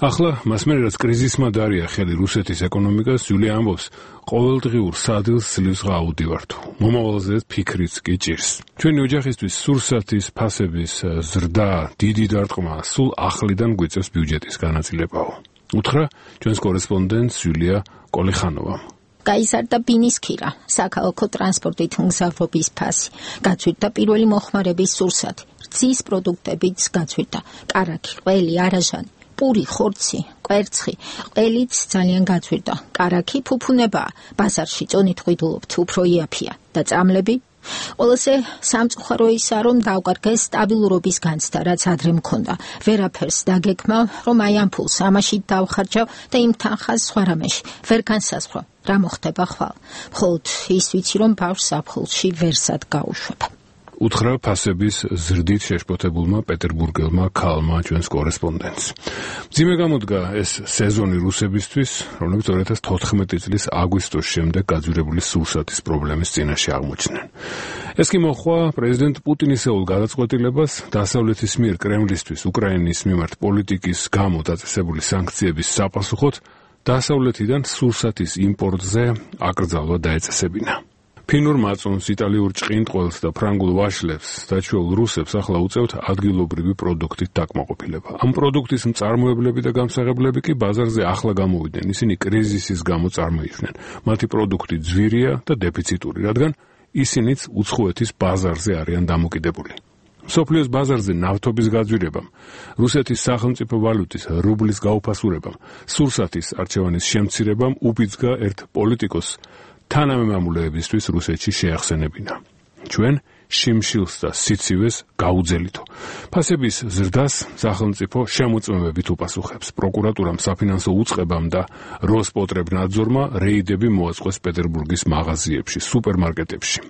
ახლა მას მერე რაც კრიზისმა დაარია ხელი რუსეთის ეკონომიკას, იულია ამბობს, ყოველდღიურ სადილს ძლივს გააუდივართ. მომავალზე ფიქრიც კი ჭირს. ჩვენი ოჯახისთვის სურსათის ფასების ზრდა, დიდი დარტყმა სულ ახლიდან გვიწევს ბიუჯეტის განაწილებაო. უთხრა ჩვენს კორესპონდენტს იულია კოლეხანოვამ. გაიზარდა ბინის ქირა, საქალაქო ტრანსპორტით მგზავრობის ფასი, გაწვირდა პირველი მოხმარების სურსათი, რძის პროდუქტებიც გაწვირდა, კარაქი, ყველი, არაჟანი, პური, ხორცი, კვერცხი, ყველიც ძალიან გაწვირდა. კარაქი ფუფუნებაა, ბაზარში წონით ღვიდულობთ, უფრო იაფია და წამლები. ყველაზე სამწუხარო ისაა, რომ დავკარგეს სტაბილურობის განცდა, რაც ადრე მქონდა. ვერაფერს დაგეკმა, რომ აი ამ ფულს ამაში დავხარჯავ და იმ თანხას სხვა რამეში ვერ განსაზღვრა. რა მოხდება ხვალ? მხოლოდ ის ვიცი, რომ ბავშვს საფხულში ვერსად გაუშვებ. უთხრა ფასების ზრდით შეშფოთებულმა პეტერბურგელმა ქალმა ჩვენს კორესპონდენტს. მძიმე გამოდგა ეს სეზონი რუსებისთვის, რომლებიც 2014 წლის აგვისტოს შემდეგ გაძვირებული სურსათის პრობლემის წინაშე აღმოჩნდნენ. ეს კი მოჰყვა პრეზიდენტ პუტინისეულ გადაწყვეტილებას დასავლეთის მიერ კრემლისთვის უკრაინის მიმართ პოლიტიკის გამო დაწესებული სანქციების საპასუხოდ დასავლეთიდან სურსათის იმპორტზე აკრძალვა დაეწესებინა. ფინურ მაწონს, იტალიურ ჭყინტყველს და ფრანგულ ვაშლებს დაჩვეულ რუსებს ახლა უწევთ ადგილობრივი პროდუქტით დაკმაყოფილება. ამ პროდუქტის მწარმოებლები და გამსაღებლები კი ბაზარზე ახლა გამოვიდნენ. ისინი კრიზისის გამო წარმოიშვნენ. მათი პროდუქტი ძვირია და დეფიციტური, რადგან ისინიც უცხოეთის ბაზარზე არიან დამოკიდებული. მსოფლიოს ბაზარზე ნავთობის გაძვირებამ, რუსეთის სახელმწიფო ვალუტის რუბლის გაუფასურებამ, სურსათის არჩევანის შემცირებამ უბიძგა ერთ პოლიტიკოს თანამემამულეებისთვის რუსეთში შეახსენებინა. ჩვენ შიმშილს და სიცივეს გაუძელითო. ფასების ზრდას სახელმწიფო შემოწმებებით უპასუხებს. პროკურატურამ, საფინანსო უწყებამ და როსპოტრებნაძორმა რეიდები მოაწყვეს პეტერბურგის მაღაზიებში, სუპერმარკეტებში.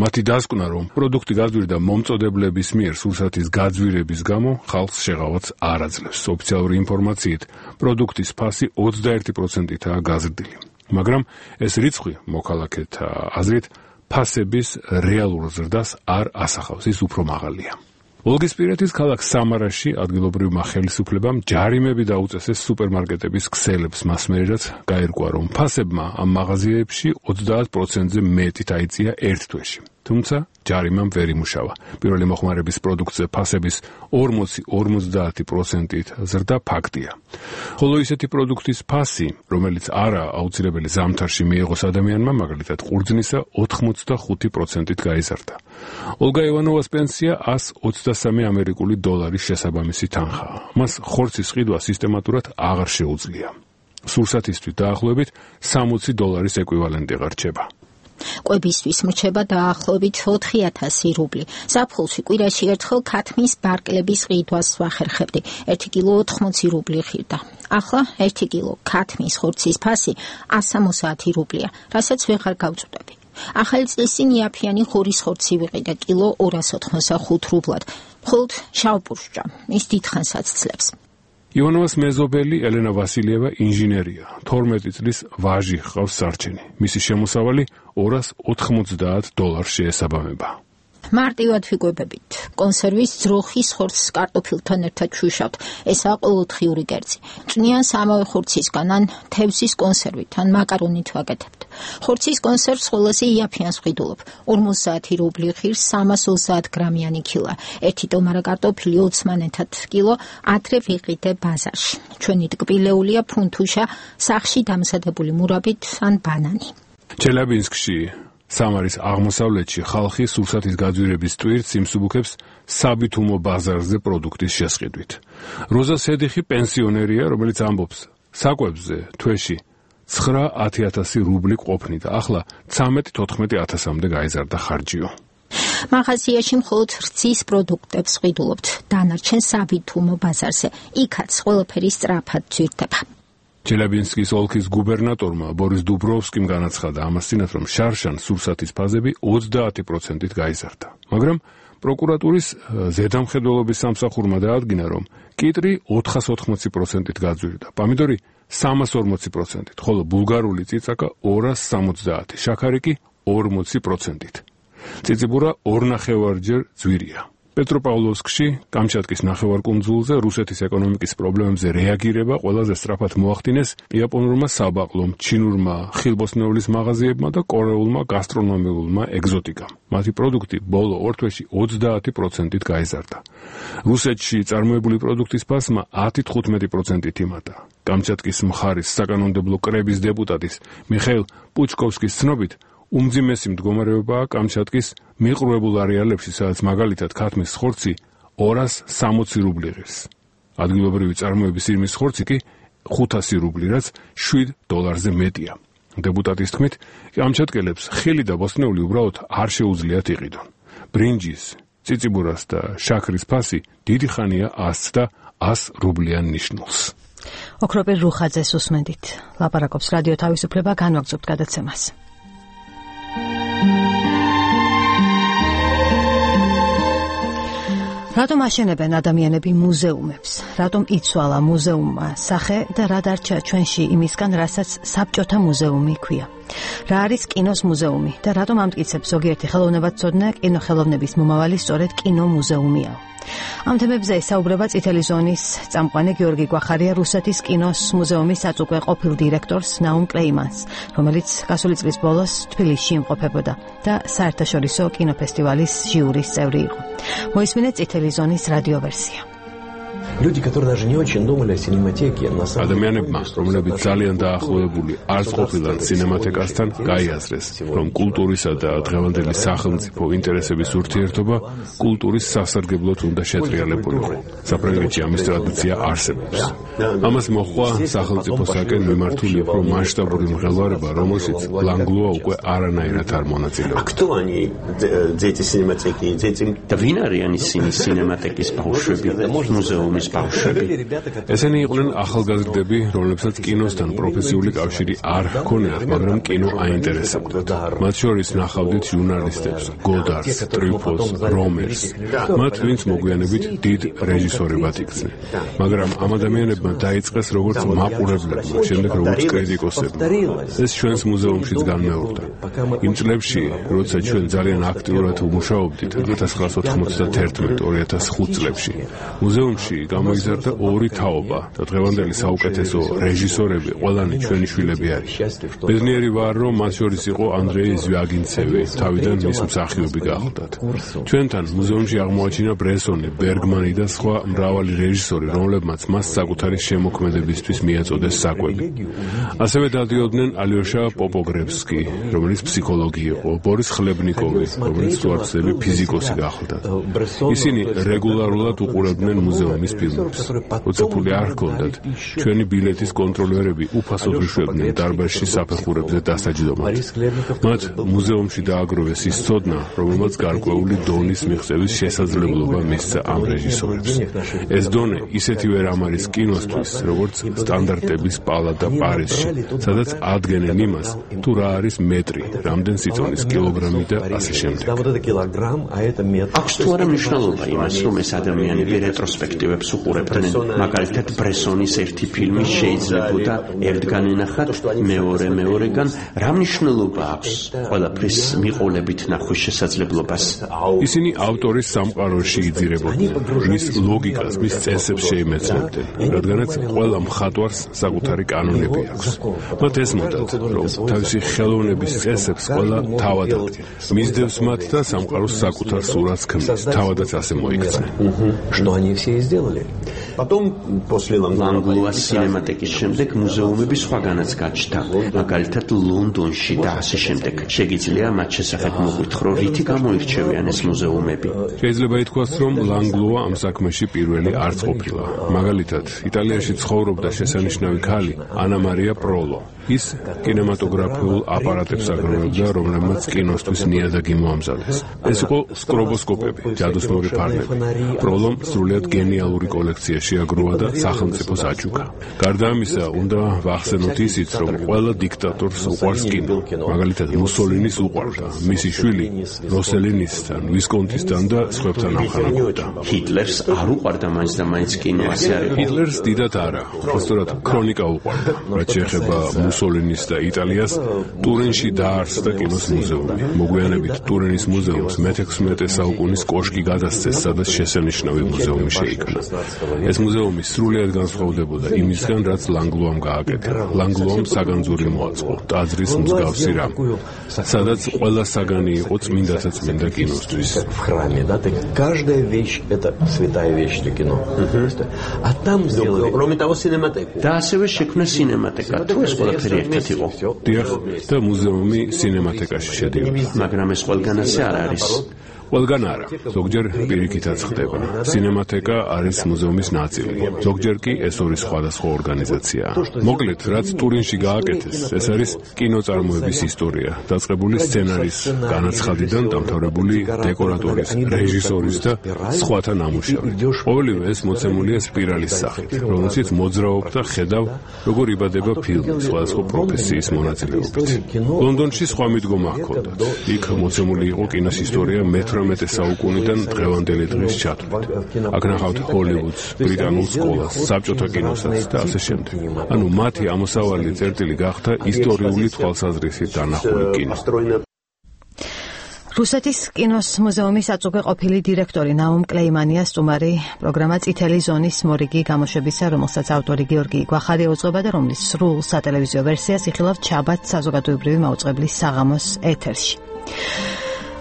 მათი დასკვნა, რომ პროდუქტი გაძვირდა მომწოდებლების მიერ სურსათის გაძვირების გამო, ხალხს შეღავაც არ აძლევს. ოფიციალური ინფორმაციით, პროდუქტის ფასი 21%-აა გაზრდილი. მაგრამ ეს რიცხვი მოქალაქეთა აზრით ფასების რეალურ ზრდას არ ასახავს, ის უფრო მაღალია. ოლგისპირეთის ქალაქ სამარაში ადგილობრივმა ხელისუფლებამ ჯარიმები დაუწესეს სუპერმარკეტების ქსელებს მასმერად გაირკვა, რომ ფასებმა ამ მაღაზიებში 30%-ზე მეტით აიწია ერთ თვეში. თუმცა ჯარიმამ ვერ იმუშავა. პირველი მოხმარების პროდუქტზე ფასების 40-50%-ით ზრდა ფაქტია. ხოლო ისეთი პროდუქტის ფასი, რომელიც არა აუცილებელი ზამთარში მიიღოს ადამიანმა, მაგალითად ყურძნისა 85%-ით გაიზარდა. ოლგა ივანოვას პენსია 123 ამერიკული დოლარის შესაბამისი თანხაა. მას ხორცის ყიდვა სისტემატურად აღარ შეუძლია. სურსათისთვის დაახლოებით 60 დოლარის ეკვივალენტი ღარჩება. კვებისთვის მრჩება დაახლოებით 4000 რუბლი. ზაფხულში კვირაში ერთხელ ქათმის ბარკლების ყიდვას ვახერხებდი. 1 კილო 80 რუბლი ღირდა. ახლა 1 კილო ქათმის ხორცის ფასი 170 რუბლია, რასაც ვეღარ გავწუდები. ახალი წლის წინ იაფიანი ხურის ხორცი ვიყიდა კილო 285 რუბლად. მხოლოდ შავპურშჭა ის დიდხანს აცძლებს. ივანოვას მეზობელი ელენა ვასილიევა ინჟინერია. 12 წლის ვაჟი ჰყავს სარჩენი. მისი შემოსავალი 290 დოლარს შეესაბამება. მარტივად ვიკვებებით. კონსერვის ძროხის ხორცს კარტოფილთან ერთად შუშავთ. ესაა ყოველდღიური კერძი. წვნიან სამავე ხორცისგან ან თევზის კონსერვით ან მაკარონით ვაკეთებთ. ხორცის კონსერვს ყველაზე იაფიანს ვყიდულობ. 50 რუბლი ღირს 330 გრამიანი ქილა. 1 ტომარა კარტოფილი 20 მანეთად კილო, ადრე ვიყიდე ბაზარში. ჩვენი ტკბილეულია ფრუნთუშა, სახში დამზადებული მურაბით ან ბანანი. ჩელაბინსკში სამარის აღმოსავლეთში ხალხი სურსათის გაძვირების ტვირთს იმსუბუქებს საბითუმო ბაზარზე პროდუქტის შესყიდვით. როზა სედიხი პენსიონერია, რომელიც ამბობს, საკვებზე თვეში 9-10000 რუბლი ყოფნიდა, ახლა 13-14 გაიზარდა ხარჯიო. მაღაზიაში მხოლოდ რძის პროდუქტებს ვყიდულობთ, დანარჩენ საბითუმო ბაზარზე. იქაც ყველაფერი სწრაფად ძვირდება. ჩელაბინსკის ოლქის გუბერნატორმა ბორის დუბროვსკიმ განაცხადა ამას წინათ, რომ შარშან სურსათის ფაზები 30%-ით გაიზარდა. მაგრამ პროკურატურის ზედამხედველობის სამსახურმა დაადგინა, რომ კიტრი 480%-ით გაძვირდა, პამიდორი 340%-ით, ხოლო ბულგარული წიწაკა 270, შაქარი კი 40%-ით. წიწიბურა 2.5-ჯერ ძვირია. პეტროპავლოვსკში, კამჩატკის ნახევარკუნძულზე რუსეთის ეკონომიკის პრობლემებზე რეაგირება ყველაზე სწრაფად მოახდინეს იაპონურმა საბაყლომ, ჩინურმა ხილბოსნეულის მაღაზიებმა და კორეულმა გასტრონომიულმა ეგზოტიკამ. მათი პროდუქტი ბოლო 2 თვეში 30%-ით გაიზარდა. რუსეთში წარმოებული პროდუქტის ფასმა 10-15%-ით იმატა. კამჩატკის მხარის საკანონმდებლო კრების დეპუტატის მიხეილ პუჩკოვსკის ცნობით, უმძიმესი მდგომარეობაა კამჩატკის მიყრუებულ არეალებში, სადაც მაგალითად ქათმის ხორცი 260 რუბლი ღირს. ადგილობრივი წარმოების ირმის ხორცი კი 500 რუბლი, რაც 7 დოლარზე მეტია. დეპუტატის თქმით, კამჩატკელებს ხილი და ბოსტნეული უბრალოდ არ შეუძლიათ იყიდონ. ბრინჯის, წიწიბურას და შაქრის ფასი დიდი ხანია 100 და 100 რუბლიან ნიშნულს. ოქროპირ რუხაძეს უსმენდით. ლაპარაკობს რადიო თავისუფლება, განვაგრძობთ გადაცემას. რატომ აშენებენ ადამიანები მუზეუმებს? რატომ იცვალა მუზეუმმა სახე და რა დარჩა ჩვენში იმისგან, რასაც საბჭოთა მუზეუმი ქვია? რა არის კინოს მუზეუმი და რატომ ამტკიცებს ზოგიერთი ხელოვნებაცოდნე კინოხელოვნების მომავალი სწორედ კინომუზეუმია? ამ თემებზე საუბრება წითელი ზონის წამყვანი გიორგი გვახარია რუსეთის კინოს მუზეუმის საწუყვე ყოფილ დირექტორს ნაუმ კლეიმანს, რომელიც გასული წლის ბოლოს თბილისში იმყოფებოდა და საერთაშორისო კინოფესტივალის ჟიურის წევრი იყო. მოისმინეთ წითელი ზონის რადიო ვერსია. Люди, которые даже не очень думали о синематеке, на самом деле. ადამიანებმა, რომლებიც ძალიან დაახლოებული არ ყოფილან სინემატეკასთან, გაიაზრეს, რომ კულტურისა და დღევანდელი სახელმწიფო ინტერესების ურთიერთობა კულტურის სასარგებლოდ უნდა შეტრიალებულიყო. საფრანგეთში ამის ტრადიცია არსებობს. ამას მოჰყვა სახელმწიფოსაკენ მიმართული უფრო მასშტაბური მღელვარება, რომელშიც ლანგლუა უკვე არანაირად არ მონაწილეობდა. Кто они, дети синематеки, дети? და ვინ არიან ისინი სინემატეკის ბავშვები და მუზეუმის ბავშვები? ესენი იყვნენ ახალგაზრდები, რომლებსაც კინოსთან პროფესიული კავშირი არ ჰქონიათ, მაგრამ კინო აინტერესებდათ. მათ შორის ნახავდით ჟურნალისტებს, გოდარს, ტრიფოს, რომერს. მათ ვინც მოგვიანებით დიდ რეჟისორებად იქცნენ. მაგრამ ამ ადამიანებმა დაიწყეს როგორც მაყურებლებმა, შემდეგ როგორც კრიტიკოსებმა. ეს ჩვენს მუზეუმშიც განმეორდა. იმ წლებში, როცა ჩვენ ძალიან აქტიურად ვმუშაობდით 1991-2005 წლებში, მუზეუმში გამოიზარდა ორი თაობა და დღევანდელი საუკეთესო რეჟისორები ყველანი ჩვენი შვილები არის. ბედნიერი ვარ, რომ მათ შორის იყო ანდრეი ზვიაგინცევი, თავიდან მის მსახიობი გახლდათ. ჩვენთან მუზეუმში აღმოაჩინა ბრესონი, ბერგმანი და სხვა მრავალი რეჟისორი, რომლებმაც მას საკუთარი შემოქმედებისთვის მიაწოდეს საკვები. ასევე დადიოდნენ ალიოშა პოპოგრევსკი, რომელიც ფსიქოლოგი იყო, ბორის ხლებნიკოვი, რომელიც თვალწები ფიზიკოსი გახლდათ. ისინი რეგულარულად უყურებდნენ მუზეუმის ფილმებს. როცა ფული არ ჰქონდათ, ჩვენი ბილეთის კონტროლერები უფასოდ უშვებდნენ დარბაზში საფეხურებზე დასაჯდომად. მათ მუზეუმში დააგროვეს ის ცოდნა, რომელმაც გარკვეული დონის მიღწევის შესაძლებლობა მისცა ამ რეჟისორებს. ეს დონე ისეთივე რამ არის კინოსთვის, როგორც სტანდარტების პალატა პარიზში, სადაც ადგენენ იმას, თუ რა არის მეტრი, რამდენ სიწონის კილოგრამი და ასე შემდეგ. აქვს თუ არა მნიშვნელობა იმას, რომ ეს ადამიანები რეტროსპექტივებს უყურებდნენ? მაგალითად, ბრესონის ერთი ფილმი შეიძლებოდა ერთგან ენახათ, მეორეგან. რა მნიშვნელობა აქვს ყველაფრის მიყოლებით ნახვის შესაძლებლობას? ისინი ავტორის სამყაროში იძირებოდნენ, მის ლოგიკას, მის წესებს შეიმეცნებდნენ, რადგანაც ყველა მხატვარს საკუთარი კანონები აქვს. მათ ესმოდათ, რომ თავისი ხელოვნების წესებს ყველა თავად ადგენს, მისდევს მათ და სამყაროს საკუთარ სურათს ქმნის, თავადაც ასე მოიქცნენ. Что они все и сделали. Потом, после ლანგლუას სინემატეკის შემდეგ მუზეუმები სხვაგანაც გაჩნდა, მაგალითად ლონდონში და ასე შემდეგ. შეგიძლია მათ შესახებ მოგვითხრო, რითი გამოირჩევიან ეს მუზეუმები? შეიძლება ითქვას, რომ ლანგლუა ამ საქმეში პირველი არც ყოფილა. მაგალითად, იტალიაში ცხოვრობდა შესანიშნავი ქალი ანა მარია პროლო. ის კინემატოგრაფიულ აპარატებს აგროვებდა, რომლებმაც კინოსთვის ნიადაგი მოამზადეს. ეს იყო სკრობოსკოპები, ჯადოსნური ფარნები. პროლომ სრულიად გენიალური კოლექცია შეაგროვა და სახელმწიფოს აჩუქა. გარდა ამისა, უნდა ვახსენოთ ისიც, რომ ყველა დიქტატორს უყვარს კინო. მაგალითად, მუსოლინის უყვარდა, მისი შვილი როსელინისთან, ვისკონტისთან და სხვებთან ამხანაგობდა. ჰიტლერს არ უყვარდა მაინც და მაინც კინო, ასე არის? ჰიტლერს დიდად არა, სწორად ქრონიკა უყვარდა. რაც შეეხება მუსოლინის და იტალიას, ტურინში დაარსდა კინოს მუზეუმი. მოგვიანებით ტურინის მუზეუმს მე-16 საუკუნის კოშკი გადასცეს, სადაც შესანიშნავი მუზეუმი შეიქმნა. ეს მუზეუმი სრულიად განსხვავდებოდა იმისგან, რაც ლანგლუამ გააკეთა. ლანგლუამ საგანძური მოაწყო, ტაძრის მსგავსი რამ, სადაც ყველა საგანი იყო წმინდათა წმინდა კინოსთვის. В храме, да, каждая вещь это святая вещь для кино. А там сделали, кроме того, синематеку. და ასევე შექმნა სინემატეკა. თუ ეს ყველაფერი ერთად იყო? დიახ, და მუზეუმი სინემატეკაში შედიოდა. მაგრამ ეს ყველგან ასე არ არის. ყველგან არა, ზოგჯერ პირიქითაც ხდება. სინემატეკა არის მუზეუმის ნაწილი, ზოგჯერ კი ეს ორი სხვადასხვა ორგანიზაციაა. მოკლედ, რაც ტურინში გააკეთეს, ეს არის კინოწარმოების ისტორია, დაწყებული სცენარის განაცხადიდან დამთავრებული დეკორატორის, რეჟისორის და სხვათა ნამუშევრით. ყოველივე ეს მოცემულია სპირალის სახით, რომელშიც მოძრაობ და ხედავ, როგორ იბადება ფილმი სხვადასხვა პროფესიის მონაწილეობით. ლონდონში სხვა მიდგომა ჰქონდათ. იქ მოცემული იყო კინოს ისტორია მე-18 მე-18 საუკუნიდან დღევანდელი დღის ჩათვლით. აქ ნახავთ ჰოლივუდს, ბრიტანულ სკოლას, საბჭოთა კინოსაც და ასე შემდეგ. ანუ მათი ამოსავალი წერტილი გახდა ისტორიული თვალსაზრისით დანახული კინო. რუსეთის კინოს მუზეუმის აწუხე ყოფილი დირექტორი ნაუმ კლეიმანია სტუმარი პროგრამა წითელი ზონის მორიგი გამოშვებისა, რომელსაც ავტორი გიორგი გვახარია უძღვება და რომლის სრულ სატელევიზიო ვერსიას იხილავთ შაბათ საზოგადოებრივი მაუწყებლის საღამოს ეთერში.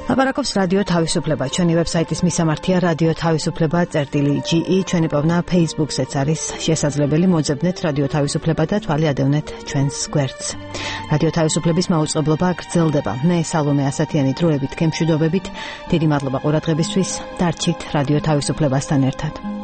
ლაპარაკობს რადიო თავისუფლება. ჩვენი ვებსაიტის მისამართია რადიო თავისუფლება წერტილი.ge. ჩვენი პოვნა Facebook-ზეც არის შესაძლებელი. მოძებნეთ რადიო თავისუფლება და თვალი ადევნეთ ჩვენს გვერდს. რადიო თავისუფლების მაუწყებლობა გრძელდება. მე სალომე ასათიანი დროებით გემშვიდობებით. დიდი მადლობა ყურადღებისთვის. დარჩით რადიო თავისუფლებასთან ერთად.